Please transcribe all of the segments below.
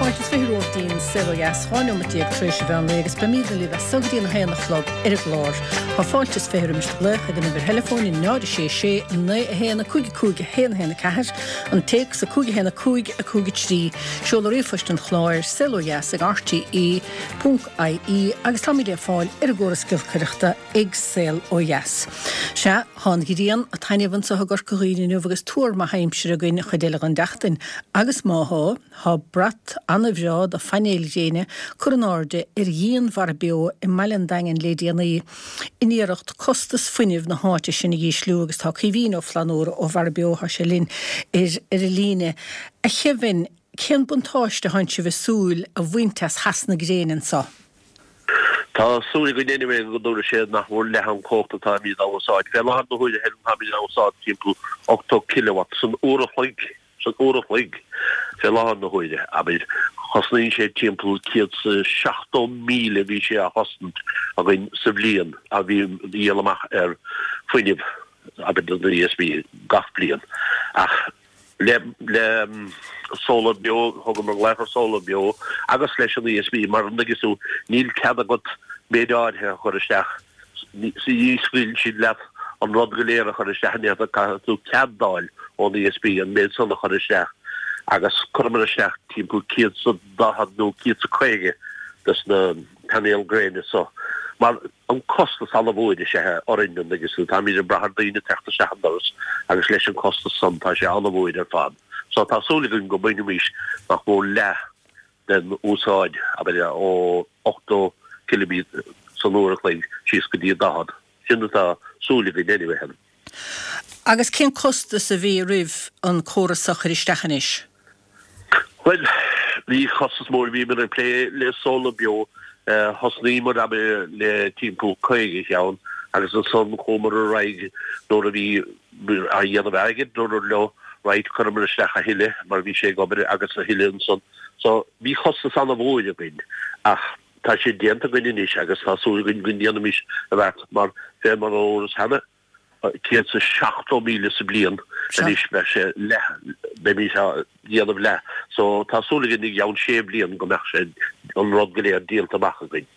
Fáilte is 20 romhaibh dtí'n Saol Ó Dheas, 12 nóimeat tar éis an mheán lae agus beimídne libh as so go dtí an 1 a chlog ar an gclár. Tá fáilte is 20 roimis do ghlaoch ag an uimhir theileafóin 0 6 6 9 1 5 5 1 1 4, an téacs 5 1 5 5 3, seoladh ríomhphoist an chláir, saolodheas ag rte ponc ie agus táimid le fáil ar an gcóras giolcaireachta ag Saol Ó Dheas. Sea, tá an ghrian a' taitneamh anso i gCorca Dhuibhne inniu agus tuar maith aimsire againn an chuid eile den tseachtain. Agus má thá, thá brat ana-bhreá de phainéil ghréine curtha in airde ar dhíon Mhara Beo i mbaile an Daingin lé déanaí in iarracht costas fuinnimh na háite sin a dhísliú agus tá Caoimhín Ó Flannúra ó Mhara Beo, thá sé linn ar ar an líne. A Chaoimhín, cén buntáiste a thánn sibh ag súil a bhaint as theas na gréine anso? Tá súil againn anyway go dtabharfaidh sé nach mór leath an chumhacht atáimid á úsáid. Fé láthair na huaire Helen táimid á úsáid timpeall 80 kilowatt san uair a chloig, san uair a chloig fé láthair na huaire, abair. Chosnaíonn sé timpeall 170,000 bhí sé á chosaint againn sa bhliain a bhí dhíol amach ar fuinneamh, abair don ESB gach bliain. Ach le le Solar Beo, thugamar glaoch ar Solar Beo agus leis an ESB mar an dtuigeann tú níl cead agat méid áirithe a chur isteach, ní scaoileann siad leat an rud go léir a chur isteach in aon chor, caithfidh tú cead d'fháil ón ESB an méid san a chur isteach agus chuireamar isteach timpeall 140 nó 150 des na painéil gréine so mar an costas an-mhór is ea orainn an dtuigeann tú, táimid ag brath ar daoine teacht isteach an doras agus leis an costas san tá sé an-mhór ar fad. So tá súil againn go mbainfimís nach mór leath den úsáid, abair, ó 80 kilowatt san uair a chloig síos go dtí 40. Sin atá súil againn anyway. Agus cén costas a bhí roimh an córas a chur isteach anois? Bhuel, bhí costas mór, bhíomar ag plé le Solar Beo, thosnaíomar abair le timpeall 50 cheann agus ansan chuamar ar aghaidh nuair a bhí á dhéanamh airgid dúramar leo right cuireamar isteach a thuilleadh mar bhí sé ag obair agus a thuilleadh ansan. So bhí costas an-mhór againn ach tá sé déanta againn anois agus tá súil againn go ndéanfaimis a bheart mar fé mar a dúras cheana 170,000 sa bliain anois beidh sé leath, beimid á dhéanamh leath. So tá súil againn i gceann sé bliain go mbeadh sé, an rud go léir díolta amach againn.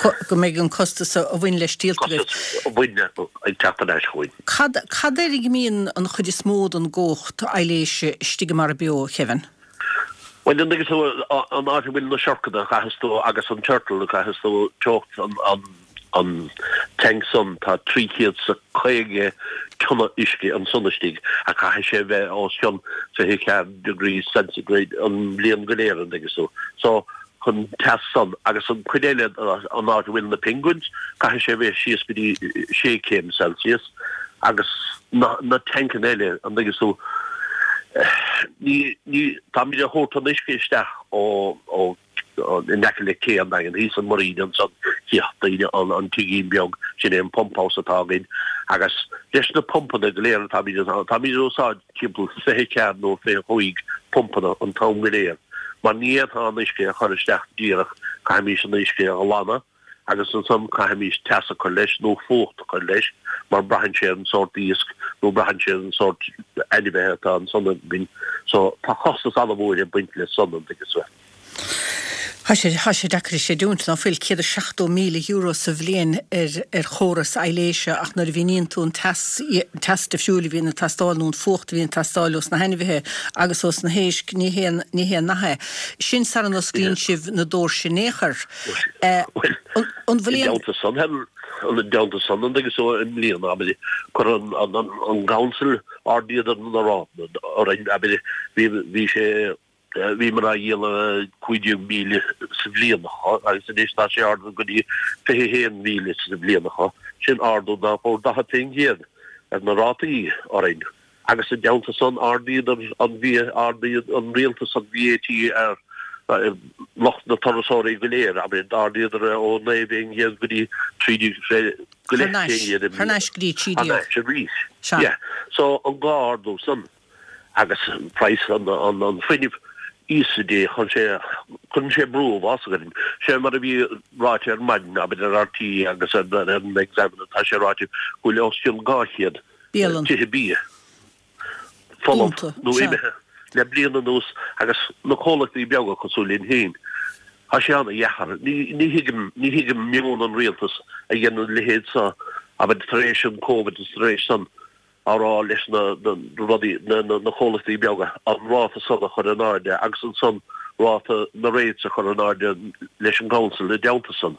Go mbeidh an costas a bhain leis díolta agaibh. Costas a bhain ag teacht ar ais chugainn. Cad, cad air a mbíonn an chuid is mó den gcumhacht aibhléise istigh i Mara Beo, a Kevin? Bhuel, an dtuigeann tú, an áit a bhfuil na siorcanna, caithfeas tú, agus an turtle, caithfeas tú teocht an, an tank san, tá 350 tonna uisce ansan istigh, ach caithfidh sé bheith os cionn 24 degrees centigrade an bhliain go léir, an dtuigeann tú. So, chun teas san agus an chuid eile, an áit a bhfuil na penguins, caithfidh sé bheith síos go dtí 6 céim Celsius agus na, na tancanna eile, an dtuigeann tú, ní, ní, táimid a thabhairt an uisce isteach ó, ó, in aice le cé an Daingin, thíos an muirín ansan, chífeadh daoine an, an tigín beag, sin é an pump house atá againn agus leis na pumpanna go léir atáimid, táimid a úsáid timpeall 24 nó 25 pumpanna an t-am go léir, mar ní fhéadfá an uisce a chur isteach díreach, caithfimís an uisce a ghlanadh agus ansan caithfimís teas a chur leis nó fuacht a chur leis mar braitheann sé ar an sórt iasc nó braitheann sé ar an sórt ainmhithe atá ansan againn. So tá costas an-mhór ag baint le san, an dtuigeann tú. Tá sé, tá sé deacair a chreidiúint ná fuil €170,000 sa bhliain ar, ar chóras aibhléise ach nuair a mhíníonn tú an teas, teas difriúil a bhíonn ag teastáil nó an fuacht a bhíonn ag teastáil ós na hainmhithe agus ós na héisc, ní haon, ní haon nath é. Sin sara n-osclaíonn sibh na doirse in aon chor. Bhuel, An bhfuil i aon. dteannta san, i dteannta san, an dtuigeann tú, i mbliana, abair, chuir an, an, an, an gcouncil ardaíodar na rátaí orainn, abair, bhí, bhí sé, Bhíomar á dhíol 15,000 sa bhliain agus anois tá sé ardaithe go dtí 21,000 sa bhliain. Sin ardú nach mór 40% ar na rátaí orainn. Agus i dteannta san ardaíodar an ardaigh an rialtas an VAT ar lucht na turasóirí go léir, abair, d'ardaíodar é ó 9% go dtí 13 go leith fén gcéad i mbliana. Thar n-ais go dtí 13. Thar n-ais arís. Yeah. So an dhá ardú san. agus praghas an fuinnimh Íosa Dé, chuir sé, cuireann sé brú uafásach orainn. Sé mar a bhí ráite ar maidin, abair ar RTÉ agus ar an Examiner, tá sé ráite go bhfuil os cionn 200 Bialann. tithe bia folamh Dúnta, nó sea. imithe. Le bliain anuas agus na comhlachtaí beaga cosúil linn féin, tá sé ana-dheacair. Ní thuigim, ní thuigim meon an rialtas a dhéanann a leithéid seo, abair tar éis an Covid is tar éis san, á rá leis na rudaí, na comhlachtaí beaga, an ráta san a chur in airde agus ansan ráta na rates a chur in airde leis an gcouncil i dteannta san.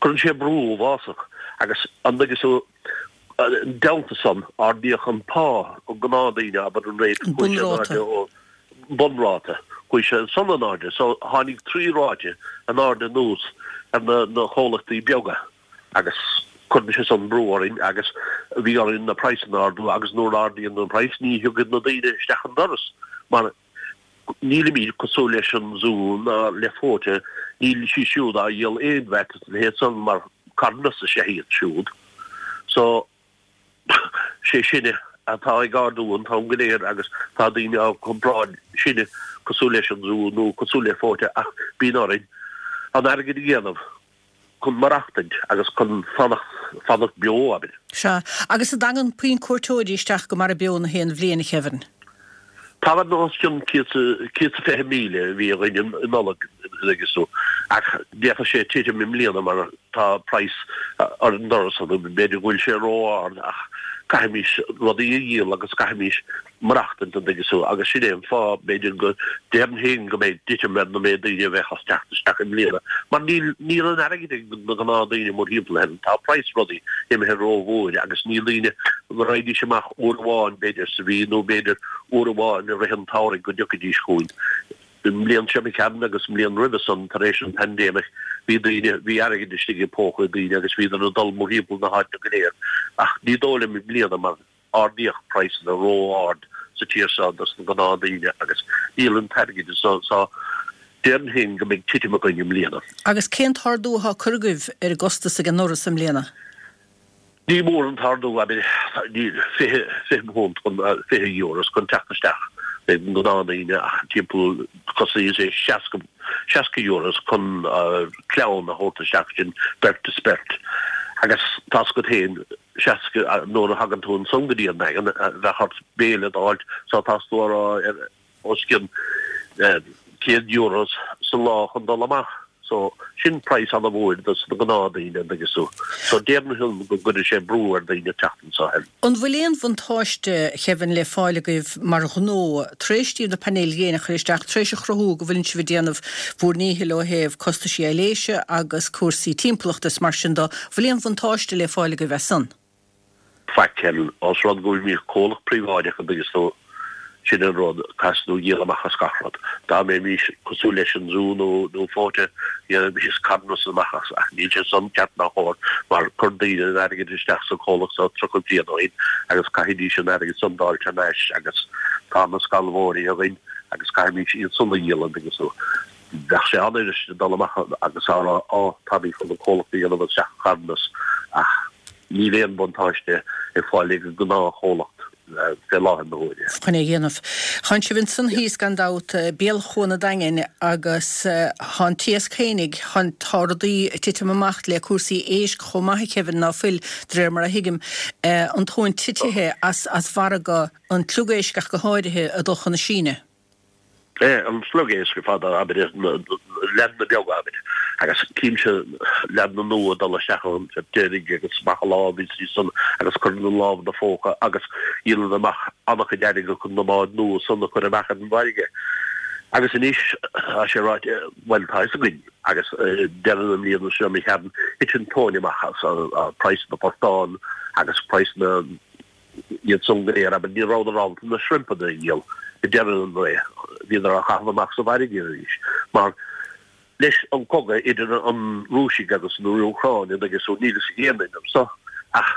Cuireann sé brú uafásach agus an dtuigeann tú, i dteannta san, ardaíodh an pá an gnáthdhaoine, abair an rate, chuaigh sé in airde ó bunráta, chuaigh sé san in airde. So tháinig 3 ráite in airde anuas ar na comhlachtaí beaga. agus cuireann sé san brú orainn agus bhí orainn na praghsanna a ardú agus nuair a ardaíonn an praghas ní thiocfaidh na daoine isteach an doras mar nílimid cosúil leis an Zú ná le Fota, níl siad siúd á dhíol aon VAT is a leithéid san mar carthanas is ea iad siúd. So sé sinne atá ag ardú an t-am go léir agus tá daoine á comparáid sinne cosúil leis an Zú nó cosúil le Fota ach bíonn orainn an airgead a dhéanamh. chun maireachtaint agus chun fanacht, fanacht beo, abair. Sea. Agus an dtagann puinn cuairteoirí isteach go Mara Beo na haon bhliain, a Kevin? Tagann os cionn 120,000 a bhí againn i Nollaig, agus tú, ach d'fhéadfadh sé titim i mbliana mar tá praghas ar an doras, b'fhéidir go bhfuil sé ró-ard ach caithfimís rudaí a dhíol agus caithfimís maireachtaint, an dtuigeann tú, agus sin é an fáth, b'fhéidir, go déarfainn féin go mbeidh titim ar na méid daoine a bheadh ag teacht isteach i mbliana, mar níl, níl an airgead ag na gnáthdaoine mórthimpeall Éireann, tá praghas rudaí imithe rómhór agus níl daoine, go raghaidís amach uair amháin, b'fhéidir, sa mhí nó b'fhéidir uair amháin i rith an tsamhraidh go dtiocfaidís chugainn. An mbliain seo imigh tharainn agus an mbliain roimhe san, tar éis an pandemic, bhí daoine, bhí airgead istigh i bpóca daoine agus bhíodar ag dul mórthimpeall na háite go léir, ach ní dóigh liom i mbliana mar, ardaíodh praghsanna ró-ard sa tír seo dos na gnáthdaoine agus níl an t-airgead so so déarfainn féin go mbeidh titim againn i mbliana. Agus cén t-ardú atá curtha agaibh ar an gcostas ag an ndoras i mbliana? Ní mór an t-ardú, abair, 20, 20 punt chun, 20 euros chun teacht isteach ag na gnáthdaoine ach timpeall cosnaíonn sé 60, 60 euros chun clann a thabhairt isteach sin beirt is beirt agus tá's agat féin 60 nuair a thagann tú ansan go dtí an Daingean, bheadh ort béile d'fháilt so tás tú a rá ar os cionn 100 euros sa lá chun dul amach. So sin praghas ana-mhór dos na gnáthdaoine an dtuigeann tú. So déarfainn go gcuirfidh sé brú ar daoine teacht anso. An bhfuil aon bhuntáiste, Kevin, le fáil agaibh mar ghnó, tar éis daoibh na painéil ghréine a chur isteach, tar éis a chruthú go bhfuileann sibh ag déanamh bhúr ndíchill ó thaobh costaisí aibhléise agus cúrsaí timpeallachta is mar sin de, bhfuil aon bhuntáiste le fáil agaibh as san? Faic, Helen, ós rud go bhfuilimid comhlacht príobháideach an dtuigeann tú, sin an rud, caithfidh tú díol amach as gach rud. Dá mbeimis cosúil leis an Zú nó nó Fota, dhéanfaimis carthanas amach as, ach níl sé san ceart ná cóir mar chuir daoine an airgead isteach sa chomhlacht so 30 bliain ó shin agus caithfidís an airgead san d'fháilt thar n-ais agus tá na scalmhóirí againn agus caithfimís iad san a dhíol an dtuigeann tú. Bheadh sé an-fhuirist dul amach agus a rá á táimid chun an comhlacht a dhéanamh isteach carthanas ach níl aon buntáiste ag fáil ag an gnáthchomhlacht fé láthair na huaire. chun é a dhéanamh. Thánn sibh ansan thíos gan dabht, béal Chuan an Daingin agus thá an t-iasc fhéinig, tá rudaí ag titim amach le cúrsaí éisc chomh maith a Kevin, ná fuil, de réir mar a thuigim, an tóin titithe as mhargadh an tSliogéisc ach go háirithe, ag dul chun na Síne. É, an sliogéisc ar fad, abair, na leaideanna beaga, abair, agus címse leaideanna nua ag dul isteach ann ar deiridh agus amach a lámh is san agus cuireann an lámh ina phóca agus dhíolann amach an-chuid airgead chun na báid nua san a chur amach ar an bhfarraige. Agus anois, tá sé ráite, bhuel, tá fhios againn, agus deireadh na mbliana seo imigh tharainn, thit an tóin amach as praghas na portán agus praghas na, iad san go léir, abair, ní rabhadar ábalta na shrimpanna a dhíol ag deireadh an ré, bhíodar á chaitheamh amach sa bhfarraige arís, mar leis an cogadh idir an Rúisigh agus an Úcráin, an dtuigeann tú, níl fhios ag aon duine anso, ach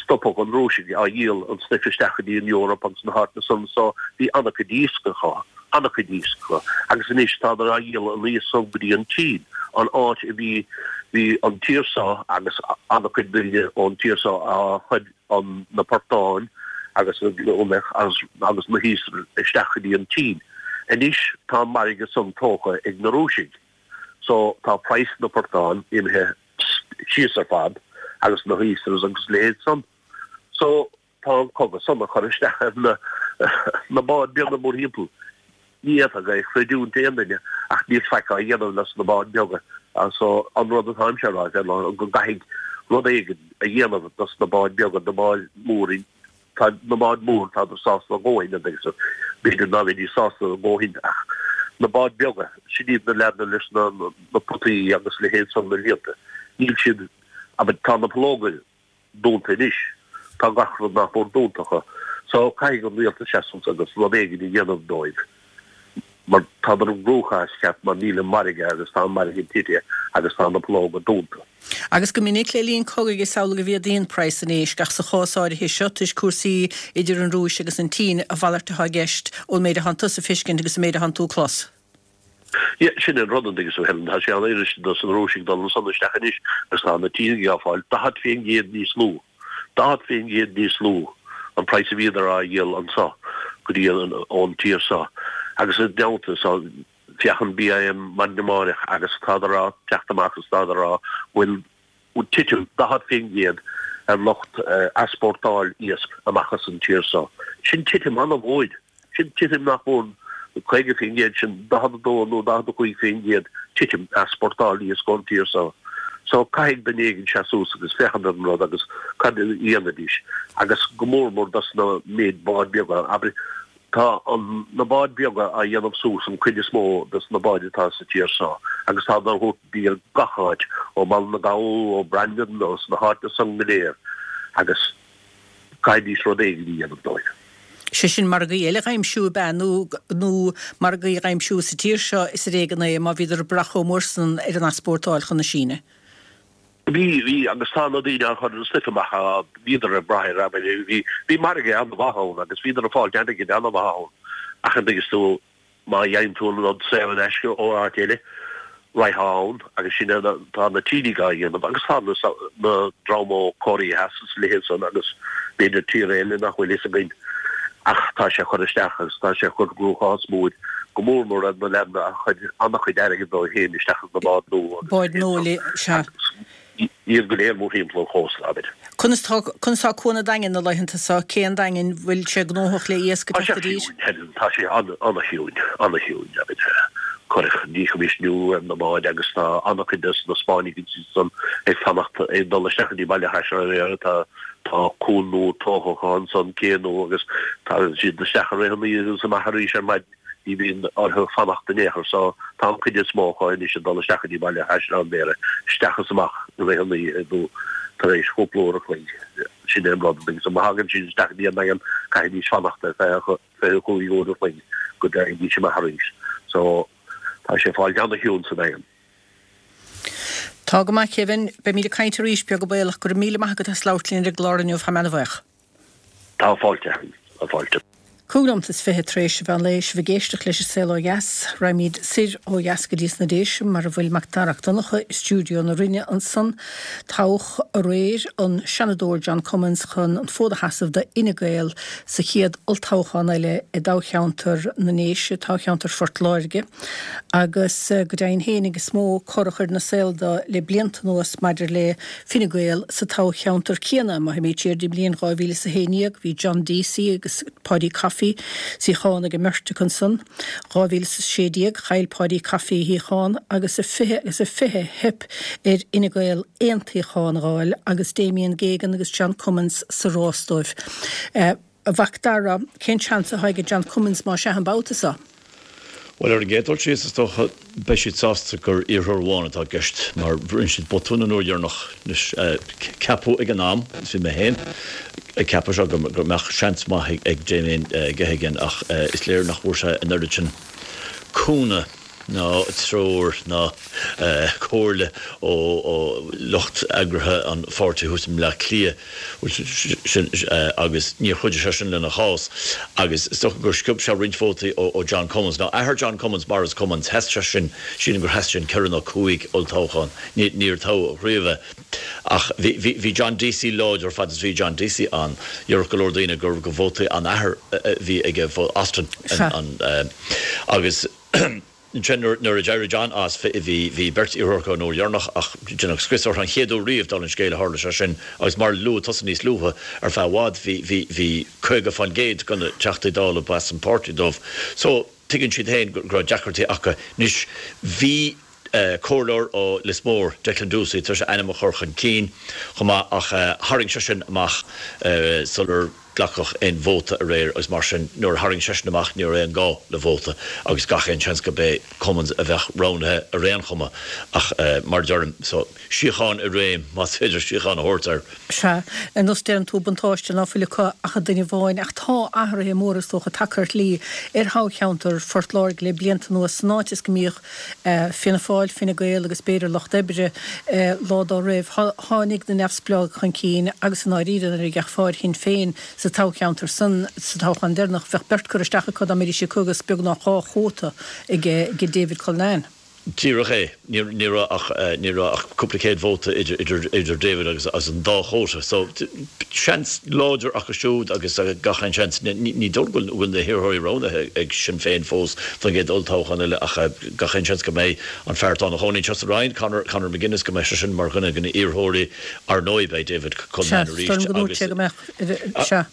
stopadh an Rúisigh á dhíol an stuif isteach go dtí an Eoraip agus na háiteanna san, so bhí an-chuid iasc acu, an-chuid iasc acu, agus anois tádar á dhíol an iasc san go dtí an tSín, an áit a bhí, bhí an tír so agus an-chuid daoine ón tír so á chur an na portáin agus agus agus na hoysters isteach go dtí an tSín. Anois tá an margadh san tógtha ag na Rúisigh so tá praghas na portán imithe síos ar fad agus na hoysters agus leithéid san. So tá an cogadh san ag cur isteach ar na na báid beaga mórthimpeall. Ní fhéadfadh é a chreidiúint aon duine ach níl faic á dhéanamh leis na báid beaga. So an rud atáimse a rá ná go gcaithfidh rud éigin a dhéanamh dos na báid beaga, na báid mór, tá na báid mór tádar sásta a dhóthain agus b'fhéidir ná bheidís sásta a dhóthain ach na báid beaga, sin iad na leaideanna leis na na potaí agus leithéid san na líonta. Níl siad, abair, tá na pollóga dúnta anois. Tá gach rud nach mór dúnta acu. So caithfidh an rialtas seasamh agus rud éigin a dhéanamh dóibh mar tádar i gcruachás ceart mar níl an margadh agus tá an margadh tite agus tá na pollóga dúnta. Agus go minic le linn cogaidh is amhlaidh a mhéadaíonn praghas an éisc ach sa chás áirithe seo toisc cúrsaí idir an Rúis agus an tSín a mhalairt atá i gceist ón méid atánn tusa a feiscint agus an méid atánn tú a clos. Yeah, sin an rud, an dtuigeann tú, Helen, tá sé an-fhuirist dos na Rúisigh dul ansan isteach anois agus tá na Sínigh á fáil 40% níos lú, 40% níos lú an praghas a bhíodar á dhíol anso go dtí an, ón tír so. Agus i dteannta so, féach an BIM maidin amáireach agus tádar á teacht amach agus tádar á go bhfuil titim 40% ar lucht easpórtáil iasc amach as an tír so. Sin titim an-mhór. Sin titim nach mór 50%, sin 42 nó 45% titim easpórtáil iasc ón tír so. So caithfidh duine éigin seasamh suas agus féachaint ar an rud agus cad a dhéanfaidís agus go mór mór dos na méid báid beaga. Abair, tá an, na báid beaga á dhéanamh suas an cuid is mó dos na báid atá sa tír so agus tá á thabhairt i dtír gach áit, ó Bhaile na Gabhal, ó Brandon, ó sna háiteanna san go léir agus. Caithfidís rud éigin a dhéanamh dóibh. Sé sin margaí eile dh'aimsiú ab ea nó nó margaí dh'aimsiú sa tír seo is ar éigean é má bhíodar ag brath chomh mór san ar an easpórtáil chun na Síne. Bhí, bhí, agus tá na daoine á chur an stuif amach, bhíodar ag brath air, abair, bhí, bhí margadh an-mhaith ann agus bhíodar ag fáilt airgid an-mhaith ann ach an dtuigeann tú, Má fhaigheann tú an rud saor in aisce ó áit eile, raghfá ann agus sin é tá na Sínigh á dhéanamh agus tá na dream ó Cóiré Theas is a leithéid san agus b'fhéidir tíortha eile nach bhfuil fhios againn ach tá sé ag cur isteach agus tá sé ag cur cruachás mór go mór mór ar na leaideanna a chuir an-chuid airgid dóibh féin isteach ins na báid nua agus a Báid nua leithéid san. Sea. Iad go léir mórthimpeall an chósta, abair. Conas tá, conas tá Cuan an Daingin na laethanta seo? Cé an Daingin, bhfuil sé gnóthach le iasc ag Tá sé teacht i dtír? ciúin, Helen, tá sé an-chiúin, an-chiúin, abair. Cuireadh díchoimisiúnú ar na báid agus tá an-chuid de na Spáinnigh ansan ag fanacht, ag dul isteach go dtí Baile Chaisleáin Bhéarra, tá, tá cuan nua tógtha acu ansan, cé nua agus tagann siad isteach i rith an oíche agus amach arís ar maidin. Ní bhíonn orthu fanacht in aon chor so tá an chuid is mó acu anois ag dul isteach go dtí Baile Chaisleáin Bhéarra, isteach is amach i rith an oíche nó tar éis chúpla uair a chloig. Sin é an rud. Agus má thagann siad isteach go dtí an Daingean, caithfidís fanacht ar feadh 25 uair a chloig go dtagaidís amach arís. So tá sé ag fáil ana-chiúin sa Daingean. Tá go maith, Kevin. Beimid ag caint arís, beag baolach. Go raibh míle maith agat as labhairt linn ar an gclár inniu. Táim ana-bhuíoch. Tá fáilte. Tá fáilte. 25 nóimeat tar éis an mheán lae, sibh ag éisteacht leis an Saol Ó Dheas. Raghaimid soir ó dheas go dtí sna Déise mar a bhfuil Mac Dara 'Ac Donncha i stiúideo na Rinne ansan. Toghadh aréir an Seanadóir John Cummins chun an fód a sheasamh do Fhine Gael sa chéad olltoghchán eile i dtoghcheantar na nDéise, toghcheantar Phort Láirge. Agus go deimhin fhéinig is mó cor a chuir ina saol dó le blianta anuas maidir le Fine Gael sa toghcheantar céanna. Má théimid siar dtí an bhliain 2011 bhí John Deasy agus Paudie Coffey, suíochán ag an mbeirt acu ansan. 2016 chaill Paudie Coffey a shuíochán agus i 20 agus i 20 theip ar Fhine Gael aon tsuíochán a dh'fháil agus Damien Geoghegan agus John Cummins sa rás dóibh. A Mhac Dara, cén seans atá ag John Cummins más ea an babhta seo? Bhuel, ar an gcéad dul síos, is dócha, beidh siad sásta gur iarrthóir amháin atá i gceist, mar rinne siad botún an uair dheireanach. Anois, ceapadh ag an am, agus bhí mé féin ag ceapadh seo, go mbeadh seans maith ag Damien Geoghegan ach is léir nach bhfuair sé an oiread sin cúnamh. ná treoir ná comhairle ó lucht eagraithe an pháirtí thuas i mBleá Cliath agus níor chuidigh sé sin lena chás agus is dócha gur sciob sé roinnt vótaí ó John Cummins. Now athair John Cummins, Maurice Cummins, sheas sé sin, sílim gur sheas sé in ceithre nó cúig olltoghchán, níor toghadh riamh é. Ach bhí John Deasy láidir fad is bhí John Deasy ann. Déarfadh go leor daoine gur vótaí an athar a bhí aige, Austin, agus ansin nuair a d'éirigh John as bhí beirt iarrthóir acu an uair dheireanach ach deineadh scrios orthu an chéad uair riamh, dála an scéil, a tharla sé sin agus mar a luaigh tusa níos luaithe, ar feadh i bhfad bhí 50% de na Teachtaí Dála ba as an bpáirtí dóibh. So. Tuigeann siad féin go raibh deacrachtaí acu. Anois, bhí comhairleoir ó Lios Mór, Declan Doocey, tar éis a ainm a chur chun cinn chomh maith ach tharraing seisean amach sular glacadh aon vóta aréir agus mar sin nuair a tharraing seisean amach ní raibh aon gá le vóta agus gach aon seans gurb é Cummins a bheadh roghnaithe ar aon chuma ach mar a deirim, so síocháin i réim más féidir síocháin a thabhairt air. Sea, ar nós deireann tú, buntáiste ná fuil acu ach duine amháin, ach tá athruithe móra is dócha tagtha ar shlí ar thoghcheantar Phort Láirge le blianta anuas, san áit is go mbíodh Fianna Fáil, Fine Gael agus b'fhéidir Lucht Oibre lá dá raibh. Tháinig na neamhspleáigh chun cinn agus i ndáiríre nuair a d'fhéachfá ar Shinn Féin sa toghcheantar san sa toghchán deireanach bheadh beirt curtha isteach acu dá mbeidís acu agus beagnach dhá chóta ag David Cullinane. Díreach é. Ní raibh ach, ní raibh ach cúpla céad vóta idir, idir, idir David agus, agus an dá chóta. So, seans láidir acu siúd agus gach aon seans, ní dóigh go bhfuil na hiarrthóirí roghnaithe ag Sinn Féin fós don gcéad olltoghchán eile ach gach aon seans go mbeidh an fear atá ina chónaí anseo sa Rinn, Conor, Conor McGuinness, go mbeidh seisean mar dhuine de na hiarrthóirí. Ar ndóigh beidh David Cullinane arís agus. Sea, is dóigh liom go ndúirt sé go mbeadh, sea.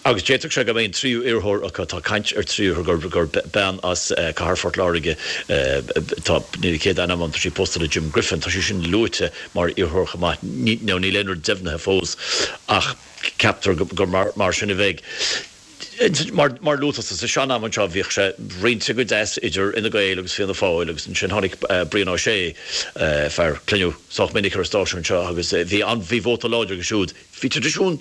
Agus d'fhéadfadh sé go mbeidh an tríú iarrthóir acu, tá caint ar tríú iarrthóir gur bean as cathair Phort Láirge, tá, níl a céad ainm agam, tá sí pósta le Jim Griffin, tá sí sin luaite mar iarrthóir chomh maith. Nó níl aon rud deimhnithe fós ach ceaptar gur mar sin a bheidh. Mar a luaigh tusa, sa sean-am anseo bhíodh sé roinnte go deas idir Fhine Gael agus Fianna Fáil agus ansin tháinig Brian Ó Sé, fear a cluineadh sách minic ar an stáisiún seo agus bhí an, bhí vóta láidir aige siúd. Bhí traidisiún,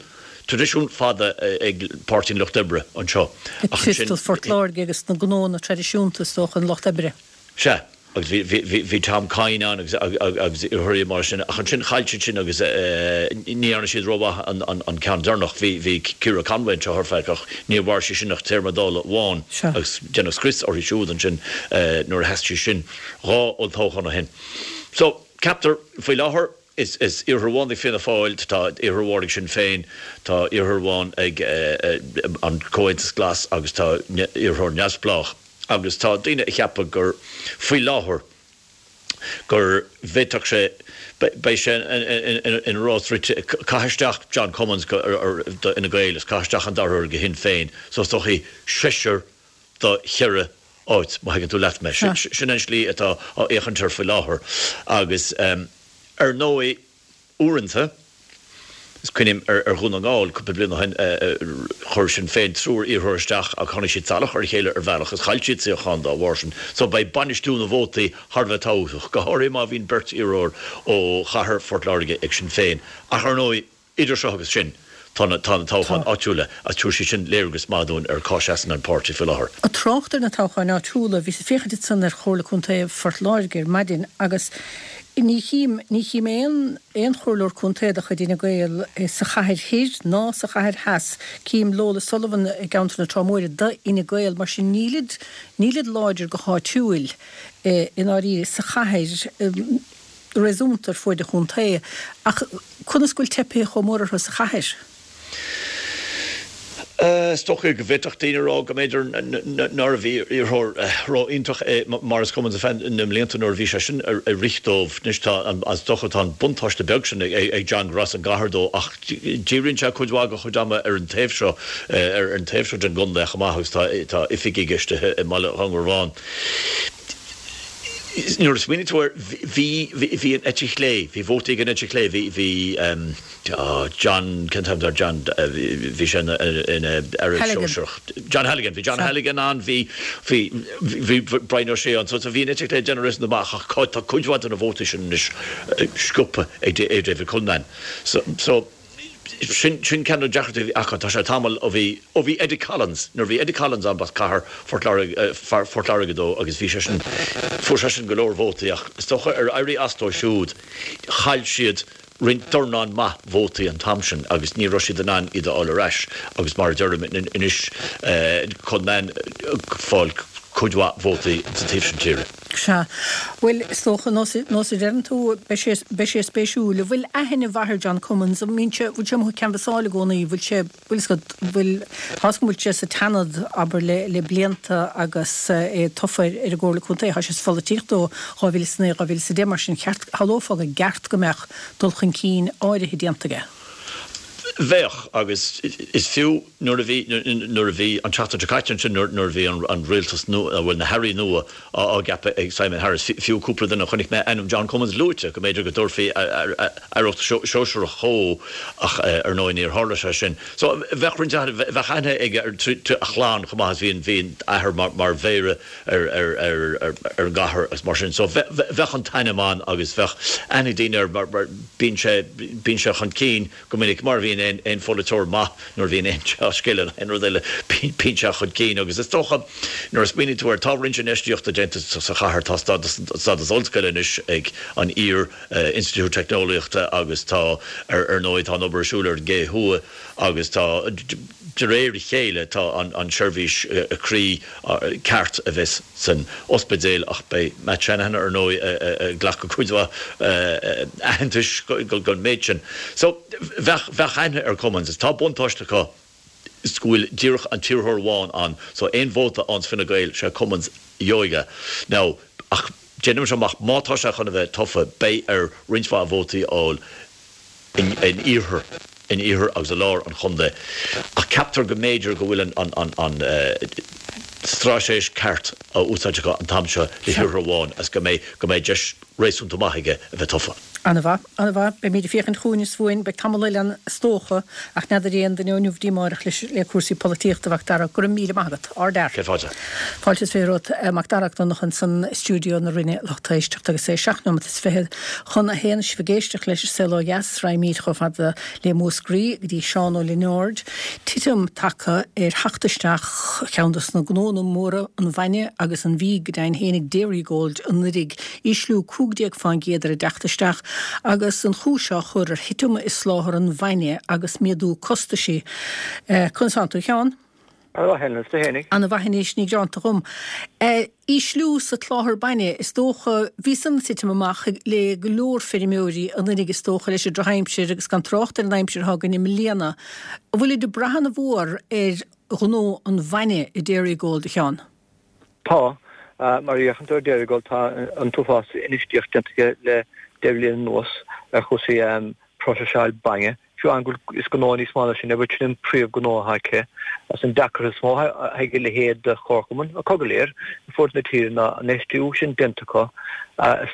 traidisiún fada ag Páirtí an Lucht Oibre anseo ach ansin. Ag Phort Láirge agus na gnónna traidisiúnta is dócha, an Lucht Oibre. Sea, agus bhí, bhí, bhí, bhí Tom Kyne ann agus, agus iarrthóirí mar sin ach ansin chaill siad sin agus ní dhearna siad rómhaith an, an, an ceann deireanach. Bhí, bhí Ciara Conway anseo ar feadh ach níor mhair sí sin ach téarma Dála amháin agus deineadh scrios uirthi siúd ansin nuair a sheas sí sin 2 olltoghchán ó shin. So, ceaptar faoi láthair, Is iarrthóir amháin ag Fianna Fáil, tá iarrthóir amháin ag Sinn Féin, tá iarrthóir amháin ag an Comhaontas Glas agus tá iarrthóir neamhspleách. Agus tá daoine ag ceapadh gur, faoi láthair, gur bhféadfadh sé, beidh sé ina rás rite, caith isteach John Cummins do Fhine Gael is caith isteach an dara hiarrthóir do Shinn Féin, so is dóichí seisear do cheithre áit, má thuigeann tú leat mé. Sin an slí atá á fhéachaint air faoi láthair. Agus ar ndóigh, uaireanta, is cuimhin liom ar Dhún na nGall cúpla bliain ó shin, chuir Sinn Féin triúr iarrthóir isteach ach tháinig siad salach ar a chéile ar bhealach agus chaill siad suíochán dá bharr sin. So beidh bainistiú na vótaí thar a bheith tábhachtach, go háirithe má bhíonn beirt iarrthóir ó chathair Phort Láirge ag Sinn Féin. Ach ar ndóigh, Idir seo agus sin, tá na toghcháin áitiúla agus tabharfaidh siad sin léargas maith dúinn ar cá seasann an páirtí faoi láthair. Ag trácht ar na toghcháin áitiúla, bhíos ag féachaint ansan ar Chomhairle Contae Phort Láirge ar maidin agus ní chím, ní chím aon, aon chomhairleoir contae de chuid Fhine Gael sa chathair thoir ná sa chathair theas. Cím Lola Sullivan i gceantar na Trá Móire d'Fhine Gael, mar sin nílid, nílid láidir go háitiúil i ndáiríre sa chathair. réasúnta ar fuaid an chontae, ach conas go bhfuil teipthe chomh mór orthu sa chathair? Is dócha go bhféadfadh daoine a rá go mb'fhéidir nárbh iarrthóir ró-iontach é Maurice Cummins ar feadh na mblianta nuair a bhí seisean ag rith dóibh. Anois tá, is dócha, tá an buntáiste beag sin ag John gur as an gcathair dó ach díríonn sé cuid mhaith dá chuid ama ar an taobh seo, ar an taobh seo den gcontae chomh maith agus tá oifig aige istigh i mBaile Dhúngarbháin. Nuair a smaoiníonn tú air, bhí, bhí an eite chlé, bhí vótaí ag an eite chlé, bhí, bhí John, cén t-ainm air, John, bhí sé ina, ina aire sóisearach. John Halligan, bhí John Halligan ann, bhí, bhí, bhí Brian O'Shea ann, so bhí an eite chlé ag déanamh réasúnta maith ach tá cuid mhaith de na vótaí sin anois sciobtha ag David Cullinane. So, so. Sin ceann de na deacrachtaí a bhí acu. Tá sé tamall ó bhí, ó bhí Eddie Collins, nuair a bhí Eddie Collins ann b'as cathair Phort Láirge, Phort Láirge dó agus bhí seisean, fuair seisean go leor vótaí ach is dócha ar éirí as dó siúd chaill siad roinnt dornán maith vótaí an t-am sin agus ní raibh siad in ann iad a fháil ar ais agus mar a deirim anois Cullinane ag fáil cuid mhaith vótaí sa taobh sin tíre. Sea. Bhuel, is dócha, nós a deireann tú, beidh sé, beidh sé spéisiúil. An bhfuil aithne mhaith ar John Cummins? An mbíonn sé, bhfuil sé amuigh ag canbhasáil i gcónaí? Bhfuil sé, bhfuil fhios agat, bhfuil, tá fhios agam go bhfuil sé sa tSeanad, abair, le, le blianta agus é tofa ar, ar an gComhairle Contae. Tá sé sa pholaitíocht ó 2009, 2010, mar sin cheart, shamhlófá go gceart go mbeadh dul chun cinn áirithe déanta aige. Bheadh, agus is fiú nuair a bhí, nuair a bhí an tseachtain seo caite ansin nuair a bhí an rialtas nua, bhuel na hairí nua á gceapadh ag Simon Harris, fiú cúpla duine, chonaic mé ainm John Cummins luaite, go mb'fhéidir go dtabharfaí aireacht shóisearach dhó ach ar ndóigh níor tharla sé sin. So bheadh roinnt aithne, bheadh aithne aige ar a chlann chomh maith is bhí an, bhí an t-athair mar mhéara ar ar an gcathair agus mar sin. So bheadh an t-ainm ann agus bheadh aithne ag daoine air mar bíonn sé, bíonn sé chun cinn go minic mar a bhíonn aon, aon pholaiteoir maith nuair a bhíonn aon dea-scéal nó aon rud eile, bíonn sé chun cinn agus is dócha nuair a smaoiníonn tú air, tá roinnt infheistíochta déanta sa chathair, tá stádas, stádas ollscoile anois ag an iar Institiúid Teicneolaíochta agus tá ar, ar ndóigh tá an obair ar siúl ar an gCé Thuaidh agus tá, de réir a chéile tá an tseirbhís croí ceart a bheas san ospidéal ach beidh Matt Shanahan ar ndóigh ag glacadh cuid mhaith aitheantais don méid sin. So bheadh bheadh aithne ar Cummins. Tá buntáiste acu is go bhfuil díreach an t-iarrthóir amháin ann so aon vóta a fhaigheanns Fine Gael sé Cummins a gheobhaidh é. Now ach déanaimse amach má tá sé chun a bheith tofa beidh air roinnt mhaith vótaí a fháil in iarthar, in iarthar agus i lár an chontae, ach ceaptar go mb'fhéidir go bhfuil an straitéis ceart á úsáid acu an t-am seo le hiarrthóir amháin agus go mbeidh, go mbeidh deis réasúnta maith aige a bheith tofa. An-mhaith, an-mhaith. Beimid ag féachaint chugainn is chugainn. Beidh tamall eile ann is dócha, ach n'fheadar aon duine ó inniu go dtí amárach leis, le cúrsaí polaitíochta, a Mhac Dara. Go raibh míle maith agat. Ardfhear. Céad fáilte. Fáilte is romhat, a Mhac Dara Mac Donncha ansan i stiúideo na Rinne, lucht éisteachta, agus é seacht nóimeat is fichead chun a haon. Sibh ag éisteacht leis An Saol Ó Dheas, raghaimid chomh fada le Múscraí go dtí Seán Ó Lionáird. Titim tagtha ar theacht isteach cheann dos na gnónna móra an bhainne agus an bhídh go deimhin fhéinig Dairygold anuiridh. Ísliú 15% ar a dteacht isteach agus an chúis á chur ar thitim i soláthar an bhainne agus méadú costaisí. Conas tánn tú a Sheáin? Ana-mhaith Helen, is tú fhéinig? Ana-mhaith anois, ní gearánta dhom. Ísliú sa tsoláthar bainne, is dócha, bhí san ag titim amach le go leor feirmeoirí anuiridh is dócha leis an drochaimsir agus gan trácht ar an aimsir atá againn i mbliana. An bhfuilid ag brath ana-mhór ar ghnó an bhainne i Dairygold, a Sheáin? Tá. Mar a fhéachann tú ar Dairygold tá an t-uafás infheistíocht déanta aige le deich mbliana anuas ar chúrsaí próiseáil bainne. Fiú amháin go bhfuil, is gnó níos mó ná sin é, but sin an príomh-ghnó atá aici. Agus an deacracht is mó atá ag a leithéid de chomharchumann, acu go léir, ar fud na tíre ná an infheistiú sin déanta acu,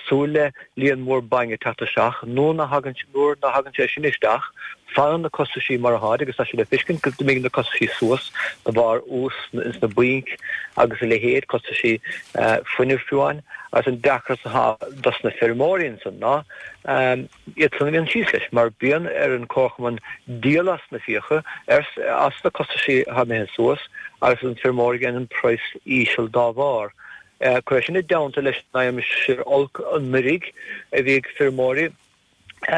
súil le líon mór bainne teacht isteach. Nuair ná thagann, nuair ná thagann sé sin isteach, fanann na costaisí mar atáid agus tá sé le feiscint go dtimigh na costaisí suas de bharr ús ins na bainc agus a leithéid, costaisí fuinnimh fiú amháin. Agus an deacracht atá dos na feirmeoirí ansan ná, iad san a bhíonn síos leis, mar bíonn ar an comharchumann díol as na fiacha, as na costaisí atá imithe suas, agus an feirmeoir ag déanamh an praghas íseal dá bharr. Cuir é sin i dteannta leis an aimsir olc anuiridh a bhí ag feirmeoirí,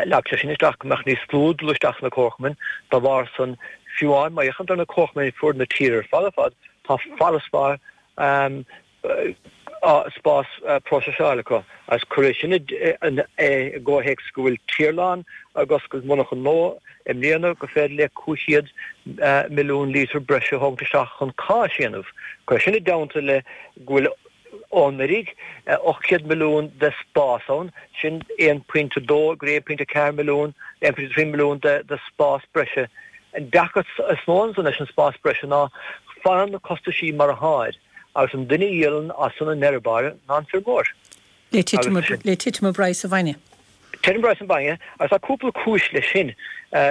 leag sé sin isteach go mbeadh níos lú ag dul isteach sna comharchumainn, dá bharr san, fiú amháin má fhéachann tú ar na comharchumainn ar fud na tíre ar fad ar fad, tá farasbarr spás próiseála acu agus cuir é sin i gcomhthéacs go bhfuil Tirlán ag oscailt monarchan nua i mbliana gur féidir le 500 milliún lítear breise a thógaint isteach chun cáis a dhéanamh. Cuir é sin i dteannta le go bhfuil ó anuraidh 800 milliún de spás ann, sin 1.2 go 1.4 milliún, 1.3 milliún de spás breise. An deacracht is mó ansan leis an spás breise ná fanann na costaisí mar atáid. Agus an duine a dhíolann as san i ndeireadh báire ná an feirmeoir. Le titim le titim i bpraghas an bhainne. Titim i bpraghas an bhainne, agus tá cúpla cúis leis sin.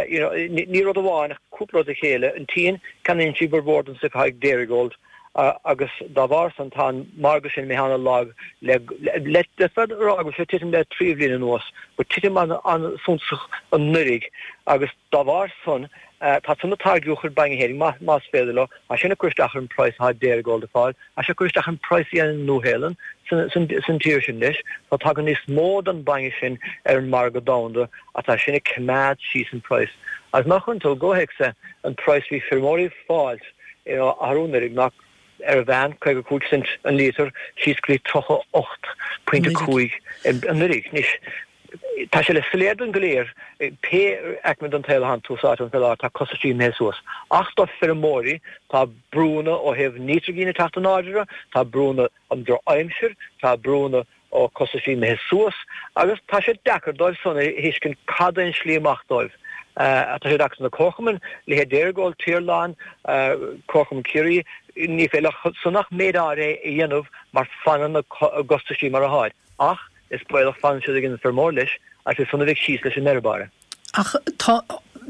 You know, ní rud amháin ach cúpla rud le chéile. An tSín, ceannaíonn sí cuid mhór den stuif atá ag Dairygold agus dá bharr san tá an margadh sin imithe an-lag le le d'fhéadfá a rá go bhfuil sé ag titim le trí bhliain anuas, but titim an-suntasach anuiridh agus Dá bharr san, tá san ag táirgeadh a chuid bainne fhéinig, más féidir leo, tá sin ag cur isteach ar an praghas atá Dairygold ag fáil, tá sé ag cur isteach ar an praghas a dhéanann an Nua-Shéalainn san tír sin leis. Tá tagann níos mó den bainne sin ar an margadh domhanda ach tá sin ag coimeád síos an praghas. Agus má chuireann tú i gcomhthéacs é, an praghas a bhí feirmeoirí ag fáilt arú anuiridh ná ar an mheán, 55 cent an líotar síos go dtí 38.5 anuiridh. Anois, Tá sé le soiléir dúinn go léir, pé aicme den tsaol a thánn tú sáite ann fé láthair, tá costaisí imithe suas. Ach do feirmeoirí, tá brúnna ó thaobh nítrigín ag teacht in airde, tá brúnna an drochaimsir, tá brúnna ó costaisí imithe suas, agus tá sé deacair dóibh san a thuiscint cad é an slí amach dóibh. Tá sé deacair do na comharchumainn, leithéid Dairygold, Tirlán, Comharchumann Chiarraí, ní féidir leo san ach méid áirithe a dhéanamh mar fanann na costaisí mar atáid. Ach is baolach fanann siad ag an bhfeirmeoir leis agus is san a bheidh síos leis i ndeireadh báire. Ach tá,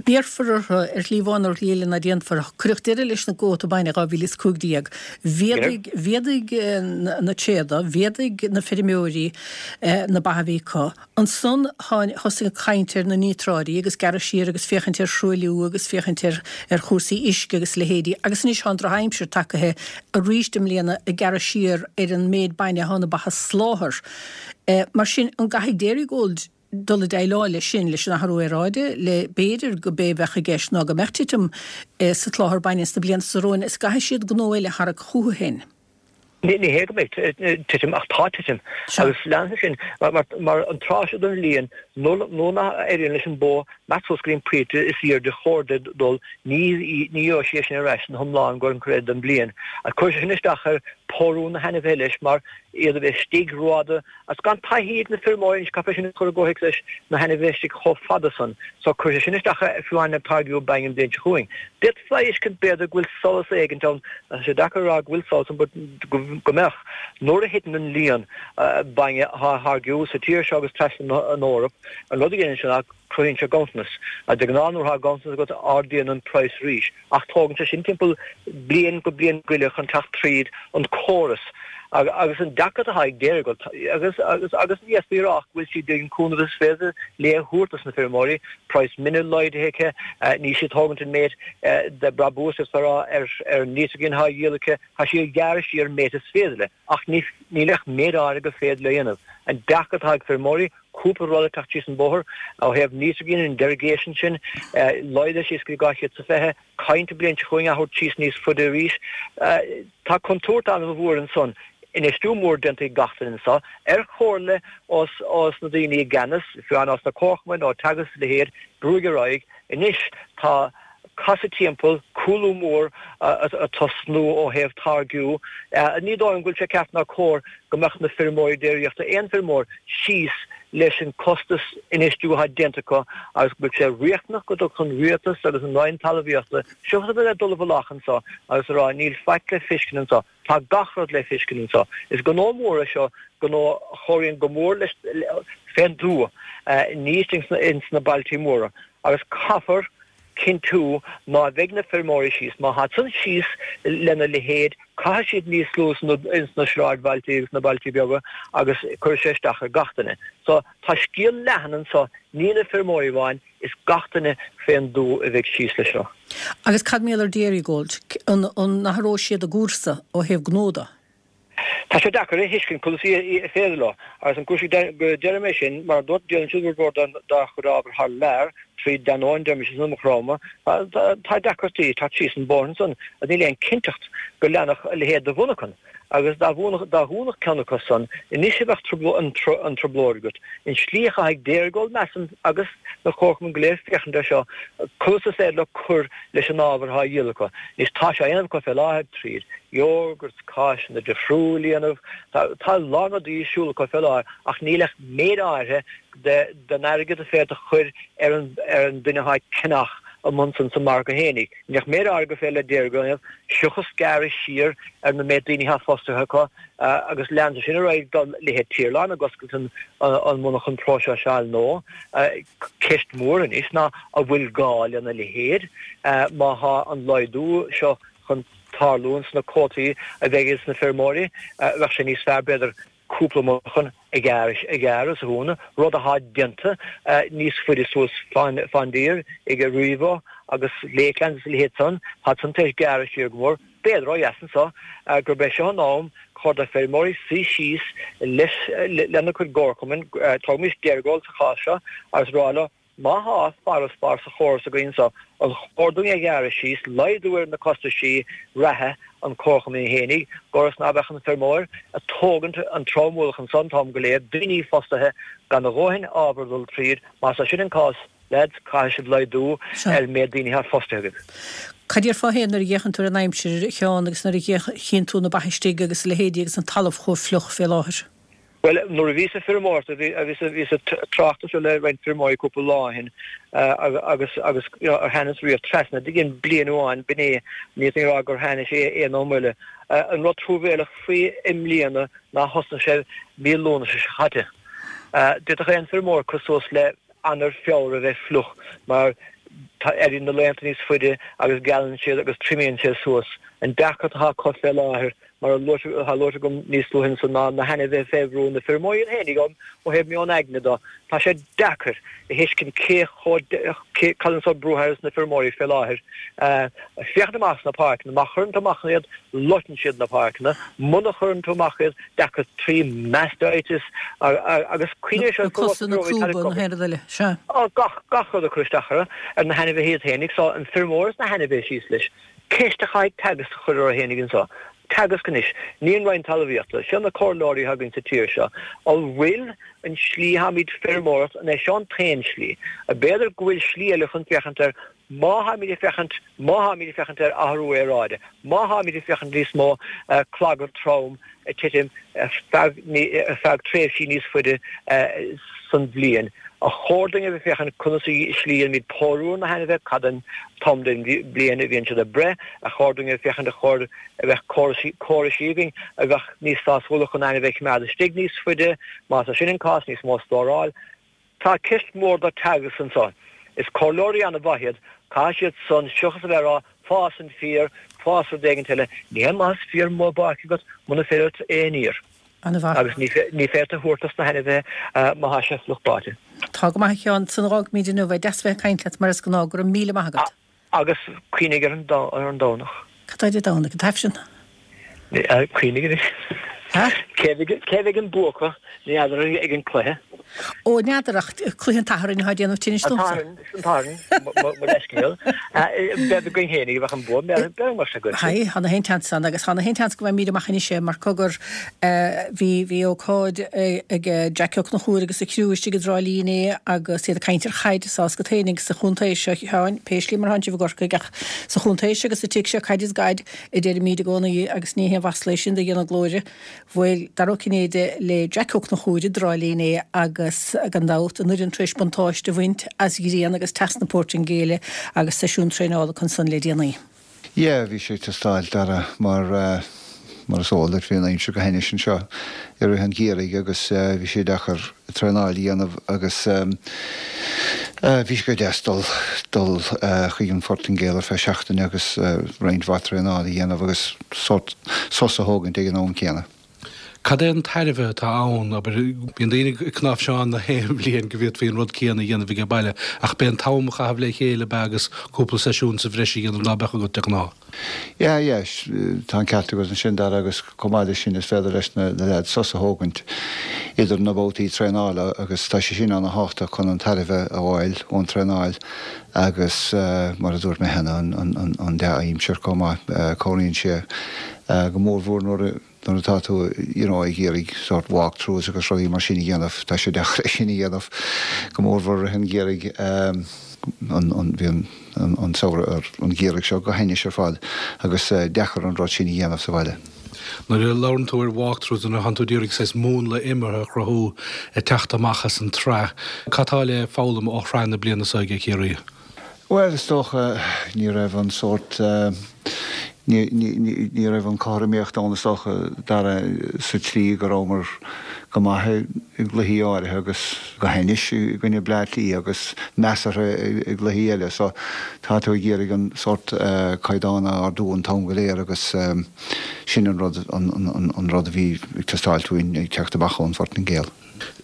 béarfar orthu, ar shlí amháin nó ar shlí eile ná déanfar. Cuireadh deireadh leis na gcuóta bainne i 2015. Mhéadaigh, mhéadaigh na tréada, mhéadaigh na feirmeoirí na ba a bhí acu. Ansan thosaigh an chaint ar na níotráidí agus gearradh siar agus féachaint ar thruailliú agus féachaint ar ar chúrsaí uisce agus a leithéidí agus anois tá an drochaimsir tagaithe arís i mbliana ag gearradh siar ar an méid bainne atá na ba a soláthar. Mar sin, an gcaithfidh Dairygold dul ag déileáil leis sin, leis an athrú aeráide, le b'fhéidir go b'é a bheadh i gceist ná go mbeadh titim sa tsoláthar bainne sna blianta atá romhainn is go gcaithfidh siad gnó eile a tharrac chucu féin. Ní hé go mbeidh titim ach tá titim agus leanfaidh sin mar an tráth seo den bhliain nuair nach éiríonn leis an bó imeacht suas go dtí an pointe is aoirde ar chóir di dul ní gheobhaidh sí é sin ar ais ina hiomlán go an chuid eile den bhliain. Agus cuirfidh sé sin isteach ar pórú na hainmhithe leis mar iad a bheith istigh rófhada Agus gan taithí ag na feirmeoirí anois, caithfear sin a chur i gcomhthéacs leis na hainmhithe istigh chomh fada san so cuirfidh sé sin isteach fiú amháin ar táirgiú bainne an bhliain seo chugainn. D'fhéadfá a fheiscint b'fhéidir go bhfuil solas éigint ann, tá sé deacair a rá go bhfuil solas ann but go mbeadh, nuair a thiteann an líon bainne atá á tháirgiú sa tír seo agus trasna an Eoraip, an rud a dhéanann sé ná cruthaíonn sé ganntanas. De ghnáth nuair atá ganntanas agat ardaíonn an praghas arís. Ach tógann sé sin timpeall bliain go bliain go leith chun teacht tríd an córas. Agus an deacracht atá ag Dairygold, agus agus agus ní fhéadfaí a rá ach go bhfuil siad ag an cúnamh is féidir léi a thabhairt dos na feirmeoirí, praghas mine laghdaithe aici, níl sí ag tógaint an méid de brabús is fearr ar ar an nítrigin atá á dhíol aici, tá sí ag gearradh siar an méid is féidir léi. Ach ní níl ach méid áirithe gur féidir léi a dhéanamh. An deacracht atá ag feirmeoirí, cúpla rud ag teacht síos an bóthar ó thaobh nítrigin, an derogation sin, laghdaithe síos go dtí 220, caint an bhliain seo chugainn á thabhairt síos níos faide arís. Tá contúirt an-mhór ansan. Infheistiú mór déanta ag gach duine anso, ar chomhairle ós na daoine i gceannas, fiú amháin ós na comharchumainn, ó Teagasc is a leithéid, brúigh ar aghaidh. Anois tá casadh timpeall, cúlú mór ag tosnú ó thaobh táirgiú. Ní dóigh liom go bhfuil sé ceart ná cóir go mbeadh na feirmeoirí déiríochta, aon feirmeoir, síos leis an costas infheistiú atá déanta acu agus go bhfuil sé riachtanach go dtiocfadh an rialtas agus an Roinn Talmhaíochta, seachas a bheith ag dul i bhfolach anseo agus a rá níl faic le feiscint anseo. Tá gach rud le feiscint anseo. Is gnó mór é seo, gnó a chabhraíonn go mór leis fén dtuath, ní istigh ins na bailtí móra. Agus caithfear cinntiú ná bheidh na feirmeoirí síos. Má tá san síos lena leithéid, caithfidh siad níos lú ins na sráidbhailtí agus na bailtí beaga agus cuirfidh sé isteach ar gach duine. So, tá scéal leathan anseo, ní na feirmeoirí amháin, Is gach duine fén dtuath a bheidh síos leis seo. Agus cad mar gheall ar Dairygold? An n-athróidh siad a gcúrsa ó thaobh gnó de? Tá sé deacair a thuiscint conas is féidir leo. Agus an cúis go deirim é sin, mar a dúirt, díolann siad cuid mhór dá chuid ábhar thar lear, tríd Danone, deirimis is an iomarca ama. Tá deacrachtaí ag teacht síos an bóthar ansan agus níl aon cinnteacht go leanfadh a leithéid de mhonarchan. Agus dá dhúnfadh ceann acu san, anois a bheadh an trioblóid agat. An slí a chaithfidh Dairygold, measaim, agus na comharchumainn go léir féachaint air seo, conas is féidir leo cur leis an ábhar atá á dhíol acu. Anois tá sé á dhéanamh acu fé láthair tríd iógart, cáiseanna difriúil a dhéanamh, tá a lán rudaí ar siúl acu fé láthair ach níl ach méid áirithe den airgead is féidir a chur ar an duine atá ag ceannach amuigh ansan sa margadh fhéinig. Níl ach méid áirithe gur féidir le Dairygold a dhéanamh, seachas gearradh siar ar na méid daoine atá fostaithe acu agus leanann sé sin ar aghaidh do leithéid Tirlán ag oscailt an monarchan próiseáil nua. Ceist mhór anois ná an bhfuil gá lena leithéid má tá an laghdú seo chun tarlú ins na cuótaí a bheidh ag na feirmeoirí. Bheadh sé níos fearr b'fhéidir cúpla monarchan a ghearradh is a dhúnadh, rud atá déanta níos faide suas fán dtír ag Aurivo agus Lakelands is a leithéid san, tá san tar éis gearradh siar go mór. B'fhéidir ó dheas anso gurb é seo an am chóir do feirmeoirí suí síos leis lena gcuid gcomharchumainn, tógaimis Dairygold sa chás seo, agus rá leo, Má thá farasbarr sa chóras againn anso, an chóir dúinn é a ghearradh síos, laghdú ar na costaisí reatha an chomharchumainn fhéinig, gcuras ná beadh an feirmeoir a' tógaint an trom-ualach anso an t-am go léir, daoine fostaithe gan a dhóthain ábhar a dhul tríd, más é sin an cás, lads, caithfidh sibh laghdú ar an méid daoine athá fostaithe agaibh. Cad déarfá féin nuair a dh'fhéachann tú ar an aimsir, a Sheáin, agus nuair a chíonn tú na ba istigh agus a leithéidí agus an talamh chomh fliuch fé láthair? Bhuel, nuair a bhíos ag feirmeoireacht, bhíos ag trácht air seo le roinnt feirmeoirí cúpla lá ó shin agus agus ar tháinig riamh trasna d'igean bliain amháin, b'in é, ní fhéadfainn a rá gur tháinig sé aon am eile. An rud truamhéalach faoi i mbliana ná thosnaigh sé mí Lúnasa seo caite. D'fhéadfadh aon feirmeoir cur suas le Eanáir, Feabhra a bheith fliuch mar tá éiríonn na laethanta níos faide agus gealann siad agus triomaíonn sé suas. An deacracht atá acu fé láthair Mar a luaite, atá luaite agam níos luaithe ansan ná na hainmhithe fé bhrú, na feirmeoirí iad féinig ó thaobh meon aigne de. Tá sé deacair a thuiscint cé chomh, cé, cad an sórt brú atá ar na feirmeoirí fé láthair. Féachaint amach sna páirceanna, má chuireann tú amach iad, loiteann siad na páirceanna, muna chuireann tú amach iad, deacair trí mastitis agus cuimhnigh seo, Na cosa, na crúba, na haon rud eile, sea. Gach, gach rud ag cur isteach orthu, ar na hainmhithe iad féinig, so an feirmeoir is na hainmhithe síos leis. Ceist a chaithfidh Teagasc a chur orthu fhéinig anso. Teagasc anois, ní an Roinn Talmhaíochta, seo na comhairleoirí atá againn sa tír seo. An bhfuil an slí atáimid feirmeoireacht, an é seo an t-aon slí? B'fhéidir go bhfuil slí eile chun féachaint air má tháimid ag féachaint, má tháimid ag féachaint ar athrú aeráide, má tháimid ag féachaint níos mó clogad trom ag titim ar feadh tréimhsí níos faide san bhliain. Ar chóir dúinn a bheith ag féachaint conas an slí a ndéanaimid pórú ar na hainmhithe, cad an t-am den bhliain a bhíonn siad ag breith, ar chóir dúinn a bheith ag féachaint ar chóir a bheith córaisí againn a bheadh níos sásúla chun ainmhithe a choimeád istigh níos faide, más é sin an cás, níos mó stóráil. Tá ceist mhór do Teagasc anso. Is comhairleoirí an-mhaith iad, caithfidh siad san, seachas a bheith ag rá fás an féar, fás rud éigint eile, ní haon maitheas féar amuigh i bpáirc agat muna féidir leat é a níor. An-mhaith. Agus ní féidir a thabhairt dos na hainmhithe má tá sé fliuch báite. Tá go maith a Sheáin, san a dh'fhágfaimid inniu é. Deas bheith ag caint leat mar is gnáth. Go raibh míle maith agat. Agus cuimhnigh ar an Domhnach. Cad tá Dé Domhnaigh? An tAifreann? Cuimhnigh anois. Cé bheidh an bua acu? Ní fheadar ag an cluiche. Ó, n'fheadar ach cluiche an tSathairn atá ag déanamh tinnis domsa. An tSatharn, mo leithscéal. B'fhéidir againn féinig a bheadh an bua, b'fhéidir mar sin againn. Haigh, tá na haon tseans ann agus tá na haon tseans go mbeimid amach anois é mar cogar bhí, bhí ócáid ag Jackie Ó Conchúir agus a chriú istigh i dTrá Lí inné agus iad ag caint ar chaid is tá a fhios agat féinig sa chontae seo, a Sheáin, pé slí mar thánn sibh i gCorcaigh ach sa chontae seo agus sa tigh seo caid is gaid a deirimíd i gcónaí agus ní haon mhasla é sin do Dhia na glóire. Bhuail Dara Ó Cinnéide le Jack Ó Conchúir i dTrá Lí inné agus gan dabht an fhoireann tar éis buntáiste a bhaint as ghrian agus teas na Portaingéile agus seisiún traenála acu ansan le déanaí. Yeah, bhí sé ag teastáil, Dara, mar, mar is eol duit, bhí an aimsir go hainnis anseo i rith an gheimhridh agus bhí sé deacair traenáil a dhéanamh agus bhí sé go deas dul, dul chuig an Phortaingéil ar feadh seachtaine agus roinnt mhaith traenáil a dhéanamh agus sórt sos a thógaint ag an am céanna. Cad é an tairbhe atá ann? Abair, bíonn daoine ag cnáimhseán na haon bhliain go bhféadfaí an rud céanna a dhéanamh aige baile, ach b'é an t-am a chaitheamh le chéile ab ea agus cúpla seisiún sa bhreis a dhéanamh ná beadh agat de ghnáth. Yeah, yeah, tá an ceart agat ansin, Dara, agus chomh maith leis sin is féidir leis na leaids sos a thógaint idir na babhtaí traenála agus tá sé sin ana-thábhachtach chun an tairbhe a fháil ón traenáil agus mar a dúirt mé cheana, an dea-aimsir chomh maith, cabhraíonn sé go mórmhór nuair nuair atá tú you know ag iarraidh sort walk throughs agus rudaí mar sin a dhéanamh, tá sé deacair é sin a dhéanamh go mórmhór i rith an gheimhridh, an an bhí an an samhradh an geimhreadh seo go hainnis ar fad agus deacair an rud sin a dhéanamh sa bhaile. Nuair a labhrann tú ar walk throughs nuair atánn tú ag iarraidh saghas múnla imeartha a chruthú ag teacht amach as an tsraith, cad tá le foghlaim ó shraith na bliana seo aige Ciarraí? Bhuel, is dócha, ní raibh an sórt, ní, ní, ní raibh an chothromaíocht ann is dócha, Dara, sa tslí go rabhamar go maith i gcluichí áirithe agus go hainnis i gcoinne Bleá Cliath agus measartha i gcluichí eile. So, tá tú ag iarraidh an sórt caighdeán a ardú an t-am go léir agus sin an rud, an, an, an rud a bhí ag teastáilt uainn ag teacht amach ón Phortaingéil.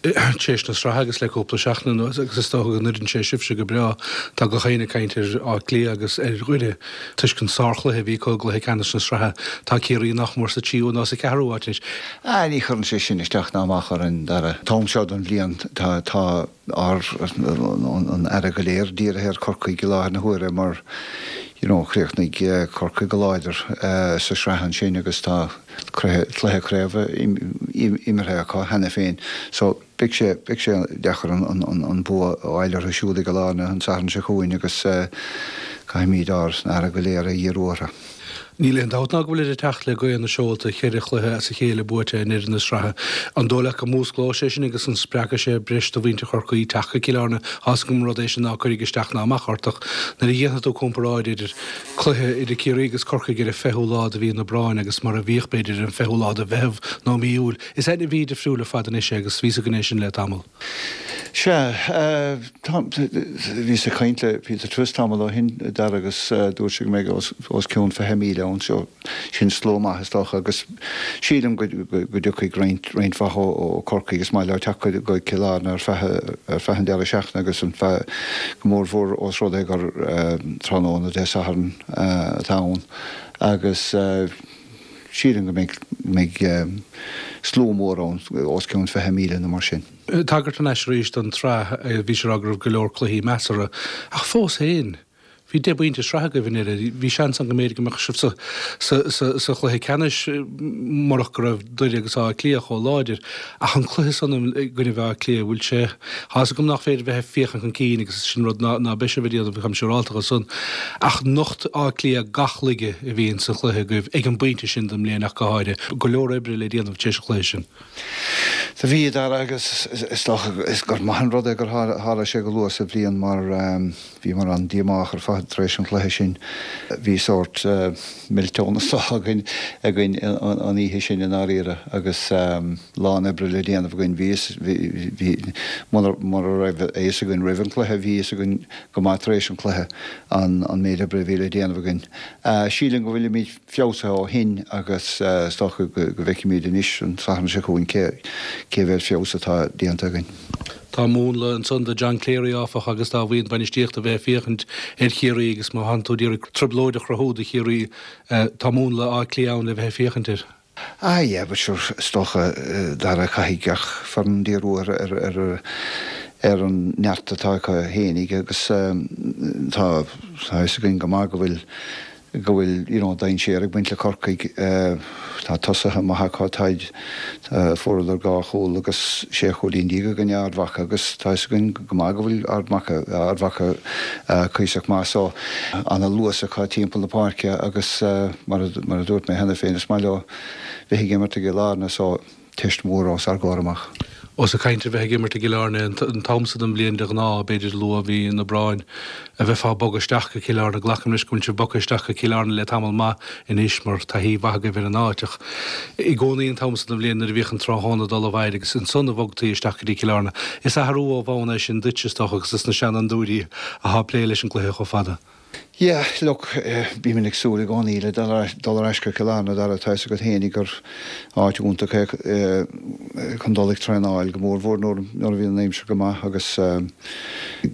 Tar éis na sraithe agus le cúpla seachtain anuas agus is dócha go n-oireann sé sibhse go breá. Tá gach éinne ag caint ar Áth Cliath agus ar Dhoire toisc an sárchluiche a bhí acu i gcluiche ceannais na sraithe. Tá Ciarraí nach mór sa tríú nó sa cheathrú áit anois. Ah, ní chuireann sé sin isteach ná amach orainn, Dara. An t-am seo den bhliain tá, tá ár, an aire go léir dírithe ar Chorcaigh i láthair na huaire mar you know chríochnaigh Corcaigh go láidir sa sraith ansin agus tá, cluiche craoibhe imeartha acu cheana féin so beidh sé, beidh sé deacair an bua a fháil orthu siúd ag an Allianz an Satharn seo chugainn agus. Caithfimid ár n-aire go léir a dhíriú orthu. Níl aon dabht ná go bhfuilid ag teacht le gaoth na seolta, cheithre chluiche as a chéile buaite i ndeireadh na sraithe. An dóigh leat go músclóidh sé sin agus an spreagfaidh sé breis de mhuintir Chorcaí teacht go Cill Airne? Tá's agam rud é sin ná cuirfidh isteach ná amach ort ach nuair a dhéanfaidh tú comparáid idir cluiche idir Ciarraí agus Corcaigh ar an 20ú lá de mhí an Aibreáin agus mar a bhíodh b'fhéidir ar an 20ú lá de Mheitheamh nó mí Iúil, is mí difriúil ar fad anois é agus bhí's againn é sin le tamall. Sea, bhíos ag caint le Peter Twiss tamall ó shin, Dara, agus dúirt sé go mbeidh os cionn 20,000 ann, so sin slua maith is dócha, agus sílim go dtiocfaidh roinnt mhaith ó Chorcaigh, is maith leo teacht go Cill Airne ar feadh an deireadh seachtaine agus an feadh, go mórmhór ós rud é gur tráthnóna Dé Sathairn atá ann agus sílim go mbeidh slua mór ann, os cionn 20,000 nó mar sin. Tagairt thar n-ais arís don tsraith, bhís ag rá go raibh go leor cluichí measartha, ach fós féin, bhí deich bpointe sraithe agaibh i ndeireadh. Bhí seans ann go mb'fhéidir go mbeadh sibh sa chluiche ceannais murach go raibh Doire agus Áth Cliath chomh láidir. Ach an cluiche san i gcoinnibh Átha Cliath, bhfuil sé, tá's agam nach féidir bheith ag féachaint chun cinn agus sin rud ná beidh sibh ag déanamh, táim siúrálta de san, ach nocht Áth Cliath gach laige a bhí ins an chluiche agaibh ag an bpointe sin den mbliain ach go háirithe. Go leor oibre le déanamh tar éis an chluiche sin. Do bhí, a Dhara, agus is dócha gur maith an rud é gur tharla sé go luath sa bhliain mar bhíomar an-díomách ar fad tar éis an chluiche sin. Bhí sórt millteán is dócha againn againn an oíche sin i ndáiríre agus lán oibre le déanamh againn. Bhí bhí mura raibh a fhios againn roimh an chluiche, bhí a fhios againn go maith tar éis an chluiche an méid oibre a bhí le déanamh againn. Sílim go bhfuilimid feabhsaithe ó shin agus is dócha go bhfeicfimid anois an Satharn seo chugainn cé mhéad feabhas atá déanta againn. Tá múnla ansan do John Cleary, áfach, agus dá bhuíon bainistíochta a bheith ag féachaint ar Chiarraí agus má thánn tú ag iarraidh trioblóid a chruthú do Chiarraí, tá múnla Átha Cliath ann le bheith ag féachaint air. Ah yeah, but sure, is dócha, Dara, caithfidh gach foireann díriú ar ar ar an neart atá acu fhéinig agus tá a fhios againn go maith go bhfuil go bhfuil you know dainséar ag baint le Corcaigh. Tá tosaithe maithe acu, táid, fuaireadar dhá chúl agus sé chúilín déag i gcoinne Ard Mhacha agus tá fhios againn go maith go bhfuil Ard Macha, Ard Mhacha cuíosach maith so ana luas acu timpeall na páirce agus mar a, mar a dúirt mé cheana féin is maith leo bheith ag imirt i gCill Airne so teist mhór os ár gcomhair amach. Ós ag caint ar bheith ag imirt i gCill Airne, an t-am so den bhliain de ghnáth, b'fhéidir luath mhí an Aibreáin, a bheifeá ag bogadh isteach go Cill Airne. Glacaim leis go bhfuil sibh bogtha isteach go Cill Airne le tamall maith anois mar taithí mhaith agaibh ar an áit ach i gcónaí an t-am so den bhliain nuair a bhíodh an tráthnóna ag dul i bhfaid agus ansan a bhogtaí isteach go dtí Cill Airne. Is athrú ó bhonn é sin duit, is dócha, agus dos na seanfhondúirí atá ag plé leis an gcluiche chomh fada. Yeah, look, bímid ag súil i gcónaí le dul ar ais go Cill Airne, Dara, tá fhios agat fhéinig gur áit iontach é chun dul ag traenáil, go mór mhór nuair a bhíonn an aimsir go maith agus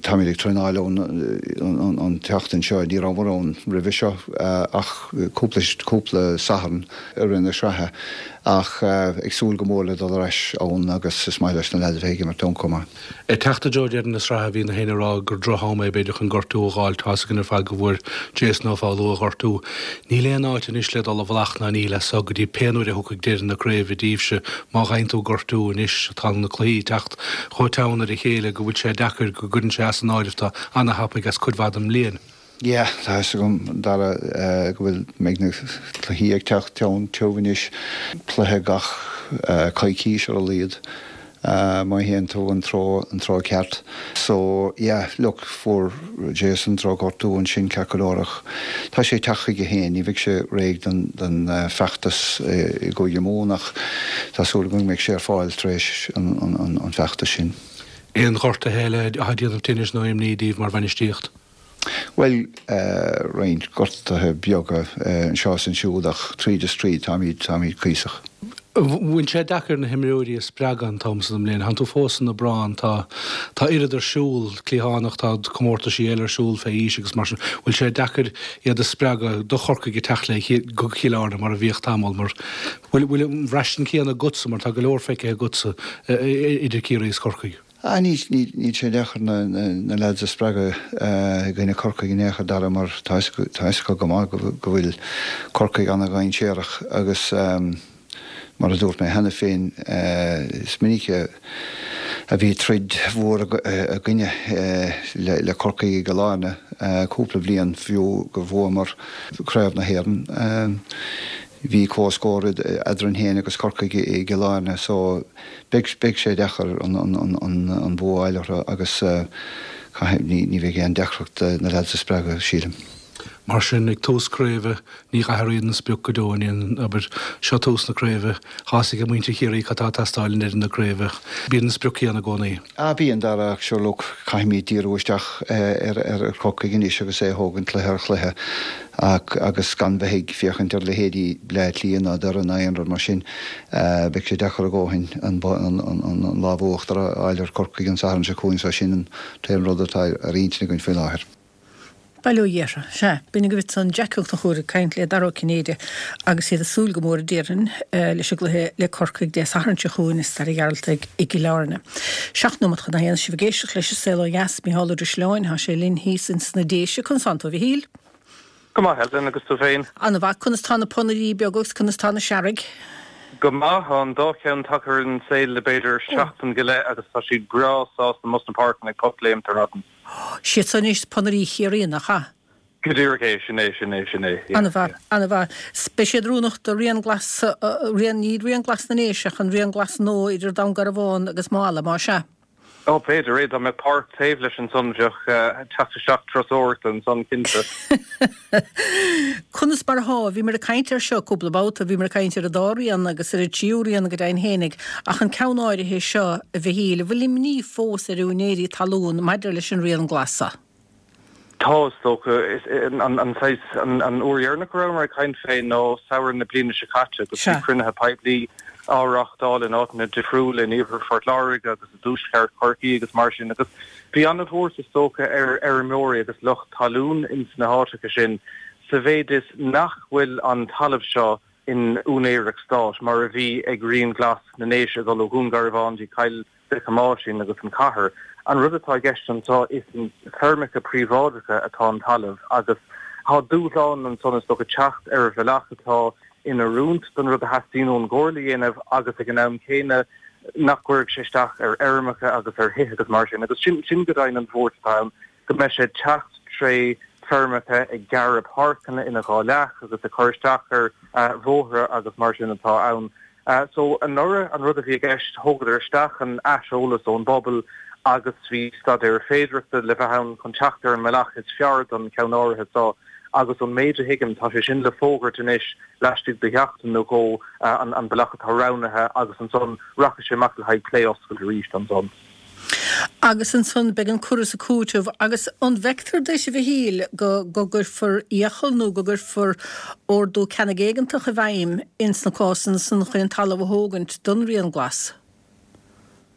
táimid ag traenáil ann an tseachtain seo, ní rabhamar ann roimhe seo ach cúpla, cúpla Satharn i rith na sraithe ach ag súil go mór le dul ar ais ann agus is maith leis na leaids a bheith ag imirt ann chomh maith. Ag teacht i dtreo deireadh na sraithe bhí na héinne ag rá gur droch-am é b'fhéidir chun gortú a dh'fháil. Tá's againn ar fad go bhfuair Jason Ó Foghlú a ghortú. Níl aon áit anois le dul i bhfolach ná níl as so go dtí pé nuair a thiocfaidh deireadh na craoibhe daoibhse. Má fhaigheann tú gortú anois tá na cluichí ag teacht chomh teann ar a chéile go bhfuil sé deacair go gcuireann sé as an áireamh tú ana-thapaidh as cuid mhaith den mbliain. Yeah, tá fhios agam, Dara, go bhfuil, mbeidh na cluichí ag teacht teann tiubh anois, cluiche gach coicís ar a laghad, má théann tú an treo, an treo ceart. So, yeah, look, fuair Jason drochghortú ansin ceart go leor ach tá sé ag teacht chuige féin, ní bheidh sé réidh don, don feachtas i gCúige Mumhan ach tá súil agam go mbeidh sé ar fáil tar éis an, an, an feachtas sin. Aon ghortuithe eile atá ag déanamh tinnis nó imní daoibh mar bhainistíocht? Bhuel, roinnt gortuithe beaga anseo is ansiúd ach tríd is tríd táimid, táimid cuíosach. Bhfuil sé deacair na himreoirí a spreagadh an t-am so den mbliain? Tánn tú fós san Aibreán, tá, tá oiread ar siúl, cliathánach, tá comórtaisí eile ar siúl fé aois agus mar sin. Bhfuil sé deacair iad a spreagadh do Chorcaigh ag teacht le go Cill Airne mar a bhíodh tamall mar bhfuil, bhfuil an bhraistint chéanna agatsa mar tá go leor feicthe agatsa idir Ciarraí is Corcaigh? Ah, níl, níl sé deacair na lads a spreagadh i gcoinne Corcaigh in aon chor, Dara, mar tá fhios acu go maith go bhfuil Corcaigh ana-dhainséarach agus mar a dúirt mé cheana féin, is minic a Bhí troid mhór againne le Corcaigh i gCill Airne cúpla bliain fiú gur bhuamar Craobh na hÉireann. Bhí comhscór eadrainn féin agus Corcaigh i gCill Airne so beidh sé deacair an bua a fháil orthu agus ní bheidh aon deacracht na leaids a spreagadh, sílim. Mar sin, ag tús craoibhe, ní athraíonn an sprioc go deo, ní, abair, seo tús na craoibhe, tá fhios ag muintir Chiarraí cad tá ag teastáil i ndeireadh na craoibhe. Bíonn an sprioc céanna i gcónaí. Ah bíonn, Dara, ach sure look, caithfimid díriú isteach ar Chorcaigh anois agus é a thógaint cluiche ar chluiche ach agus gan bheith ag féachaint ar leithéidí Bleá Cliath ná Doire ná aon rud mar sin. Beidh sé deacair a dhóthain an lámh uachtar a fháil ar Chorcaigh an Satharn seo chugainn so sin an t-aon rud atá ar intinn againn faoi láthair. Bail ó Dhia orthu. Sea, b'in agaibh ansan Jackie Ó Conchúir ag caint le Dara Ó Cinnéide agus iad ag súil go mór, a déarfainn, leis an gcluiche le Corcaigh Dé Sathairn seo chugainn i Staid an Ghearaltaigh i gCill Airne. 7 nóimeat chun a haon, sibh ag éisteacht leis An Saol Ó Dheas, Micheál Ó Drisleáin, tá sé linn thíos ins na Déise. Conas tánn tú, a Mhichíl? Go maith, Helen, agus tú féin? An-mhaith. Conas tá na ponairí beaga agus conas tá na searraigh? Go maith. Tá an dá cheann tagtha ar an saol le b'fhéidir seachtain go leith agus tá siad breá sásta amuigh sna páirceanna ag pocléimt ar maidin. Siad san anois ponairí Chiarraí, nach ea? Go díreach é, sin é, sin é, sin é, yeah, An-mhaith, yeah. an-mhaith. Beidh siad oiriúnach do Rian Glas, Rian, ní Rian Glas na nDéise ach an Rian Glas nua idir Dún Garbhán agus Maigh Eala, más ea? Ó, b'fhéidir é, dá mbeadh páirc taobh leis ansan bheadh teacht isteach turasóireachta ansan cinnte. Conas mar athá? Bhíomar ag caint air seo cúpla babhta, bhíomar ag caint ar an dá rian agus ar an tríú rian go deimhin fhéinig, ach an ceann áirithe seo, a Mhichíl, an bhfuil imní fós ar úinéirí talún maidir leis an rian glas seo? Tá, is dócha. An saghas, an uair dheireanach a rabhamar ag caint fé ná samhradh na bliana seo caite agus bhí cruinnithe poiblí á reáchtáil in áiteanna difriúla in iarthar Phort Láirge agus i dtuaisceart Chorcaí agus mar sin agus bhí an-bhuairt is dócha ar fheirmeoirí agus lucht talún ins na háiteacha sin sa mhéid is nach bhfuil an talamh seo in úinéireacht stáit mar a bhí ag Rian Glas na nDéise ag dul ó Dhún Garbhán dtí Cill Mhic Thomáisín agus an chathair. An rud atá i gceist anseo is in feirmeacha príobháideacha atá an talamh agus tá dúshlán ansan is dócha teacht ar bhealach atá in oiriúint don rud a theastaíonn ón gComhairle a dhéanamh agus ag an am céanna nach gcuirfidh sé isteach ar fheirmeacha agus ar thithe agus mar sin. Agus sin sin go deimhin an bhuairt atá ann, go mbeidh sé ag teacht tré feirmeacha ag gearradh páirceanna ina dhá leath agus ag cur isteach ar bhóithre agus mar sin atá ann. So anuraidh an rud a bhí i gceist, thógadar isteach an aiseolas ón bpobal agus bhí staidéar féidearthachta le bheith ann chun teacht ar an mbealach is fearr don cheann áirithe seo agus ón méid a thuigim tá sé sin le fógairt anois laistigh de sheachtain nó dhó an bealach atá roghnaithe agus ansan rachaidh sé amach le haghaidh plé oscailte arís ansan. Agus ansan beidh an cur is an cúiteamh. Agus an bhfeictear duit, a Mhichíl, go gcuirfear iachall nó go gcuirfear ordú ceannaigh éigeantach i bhfeidhm ins na cásanna san chun an talamh a thógaint don Rian Glas?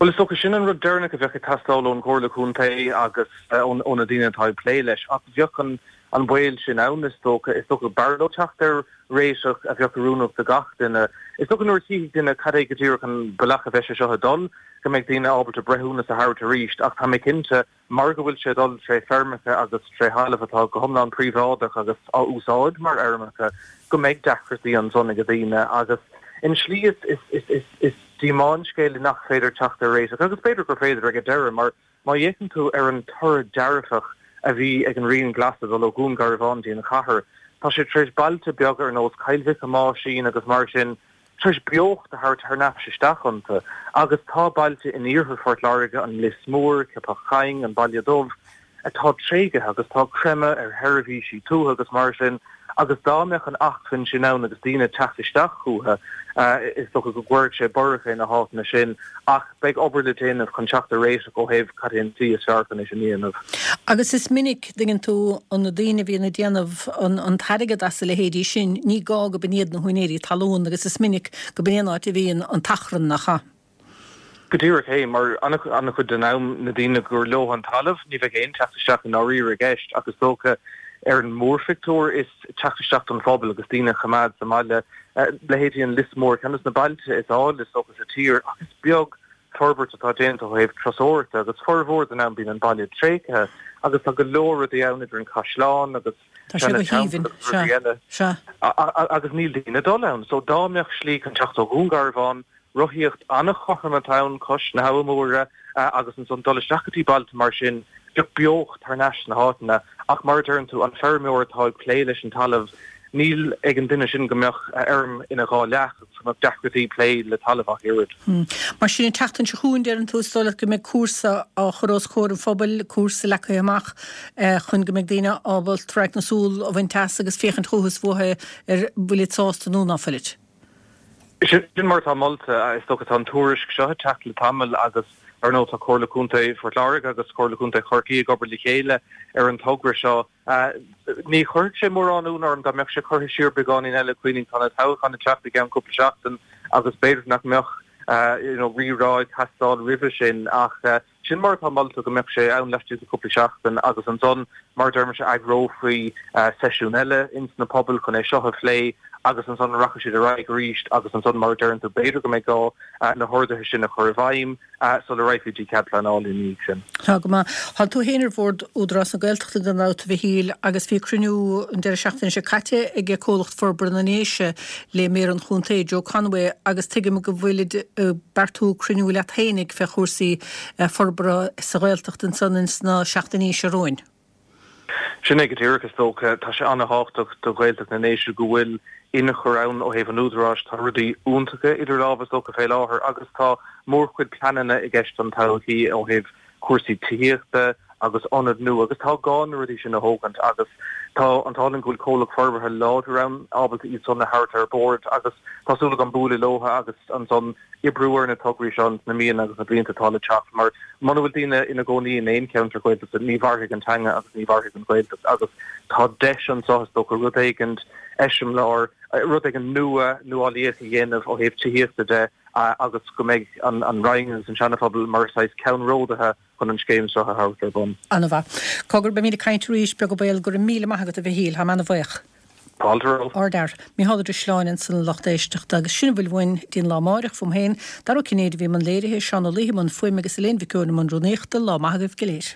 Bhuel, is dócha sin an rud deireanach a bheadh ag teastáil ón gComhairle Contae agus ó na daoine atá ag plé leis. Ach bheadh an baol sin ann, is dócha. Is dócha b'fhearr leo teacht ar réiteach a bheadh oiriúnach do gach duine. Is dócha nuair a chífidh duine cad é go díreach an bealach a bheidh sé seo ag dul, go mbeidh daoine ábalta breithiúnas a thabhairt arís. Ach tá mé cinnte, mar go bhfuil sé ag dul tré feirmeacha agus tré thalamh atá go hiomlán príobháideach agus á úsáid mar fheirmeacha, go mbeidh deacrachtaí ansan ag daoine. Agus in slí is díomá an scéal é nach féidir teacht ar réiteach, agus b'fhéidir gur féidir ag an deireadh, mar Má fhéachann tú ar an toradh dearfach a bhí ag an Rian Glas ag dul ó Dhún Garbhán dtí an chathair, tá sé tar éis bailte beaga ar nós Cill Mhic Thomáisín agus mar sin, tar éis beocht a thabhairt thar n-ais isteach iontu. Agus tá bailte in iarthar Phort Láirge, an Lios Mór, Ceapach Choinn, an Baile Dubh, atá tréigthe agus tá creimeadh ar sheirbhísí tuaithe agus mar sin agus dá mbeadh an acmhainn sin ann agus daoine ag teacht isteach chucu, is dócha go gcuirfeadh sé borradh fé na háiteanna sin ach beidh obair le déanamh chun teacht ar réiteach ó thaobh cad é an tslí is fearr chun é sin a dhéanamh. Agus is minic, dtuigeann tú, na daoine a bhíonn ag déanamh an t-airgead as a leithéidí sin, ní gá go b'in iad na húinéirí talún agus is minic go b'in é an áit a bhíonn an t-achrann, nach ea? Go díreach é, mar an-chuid den am, na daoine gur leo an talamh, ní bheidh aon teacht isteach i ndáiríre i gceist ach is dócha ar an mórphictiúr is teacht isteach don phobal agus daoine a choimeád sa mbaile. Leithéidí an Lios Mór, ceann de na bailte is áille is dócha sa tír ach is beag forbairt atá déanta ó thaobh turasóireachta agus formhór den am bíonn an baile tréigthe agus tá go leor rudaí ann idir an caisleán agus Tá sé go haoibhinn, sea, sea. Agus níl daoine ag dul ann. So dá mbeadh slí chun teacht ó Dhún Garbhán. rothaíocht an-chothrom atá ann cois na hAbha Móire agus ansan dul isteach go dtí bailte mar sin, bheadh beocht thar n-ais sna háiteanna. Ach mar a deireann tú, an feirmeoir atá ag plé leis an talamh, níl ag an duine sin go mbeadh a fheirm ina dhá leath agus go mbeadh deacrachtaí plé le talamh ach oiread. Mar sin, an tseachtain seo chugainn, deireann tú, is dóigh leat go mbeidh cúrsa á chur os comhair an phobail, cúrsa leagtha amach chun go mbeidh daoine ábalta radharc na súl a bhaint as agus féachaint chucu is uathu ar bhfuilid sásta nó ná fuilid. Sin mar atá molta. Is dócha tá an tuairisc seo ag teacht le tamall agus ar ndóigh tá Comhairle Contae Phort Láirge agus Comhairle Contae Chorcaí ag obair le chéile ar an togra seo. Ní chuirfeadh sé mórán ionadh orm dá mbeadh sé curtha siar beagáinín eile, cuimhnigh tá na toghcháin ag teacht i gceann cúpla seachtain agus b'fhéidir nach mbeadh you know rírá ag teastáil roimhe sin ach Sin mar atá molta, go mbeadh sé ann laistigh de chúpla seachtain agus ansan, mar a deir mise, eagrófaí seisiún eile ins na pobail chun é seo a phlé agus ansan rachaidh siad ar aghaidh arís agus ansan, mar a deireann tú, b'fhéidir go mbeidh gá na horduithe sin a chur i bhfeidhm sula raghfaí dtí cead pleanála ina dhiaidh sin. Tá go maith. Tá tú féin ar bhord Údarás na Gaeltachta gan dabht, a Mhichíl, agus bhí cruinniú an deireadh seachtaine seo caite ag Comhlacht Forbartha na nDéise le Méara an Chontae, Joe Conway, agus tuigim go bhfuilid ag beartú cruinniú leat fhéinig fé chúrsaí forbartha sa Ghaeltacht ansan ins na seachtainí seo romhainn. Sin é go díreach, is dócha. Tá sé an-thábhachtach do Ghaeltacht na nDéise go bhfuil inchur ann ó thaobh an Údaráis. Tá rudaí iontacha idir lámha is dócha fé láthair agus tá mórchuid pleananna i gceist don todhchaí ó thaobh cúrsaí tithíochta agus ionad nua agus tá gá na rudaí sin a thógaint agus tá an t-ádh linn go bhfuil comhlacht forbartha láidir ann ábalta iad san a thabhairt ar bord agus tá súil agam bualadh leo agus ansan oibriú ar na tograí seo ins na míonna agus na blianta atá le teacht mar muna bhfuil daoine ina gcónaí in aon cheantar Gaeltachta ní mhairfidh an teanga agus ní mhairfidh an Ghaeltacht agus tá deis anseo is dócha rud éigint eiseamláir, rud éigin nua, nuálaíoch a dhéanamh ó thaobh tithíochta de. agus go mbeidh an Rinn agus an Seana-Phobal mar saghas ceannródaithe chun an scéim seo a thabhairt ar bun. An-mhaith. Cogar, beimid ag caint arís, beag an baol. Go raibh míle maith agat, a Mhichíl. Táim ana-bhaoch. Fáilte romhat. Ardfhear. Micheál Ó Drisleáin ansan a lucht éisteachta. Agus sin a bhfuil uainn dtí'n lá amáireach, fúm féin. Dara Ó Cinnéide a bhí i mbun léirithe, Seán Ó Laoithe i mbun fuaime agus Elaine Mhic Eoin i mbun rúnaíochta. Lá maith agaibh go léir.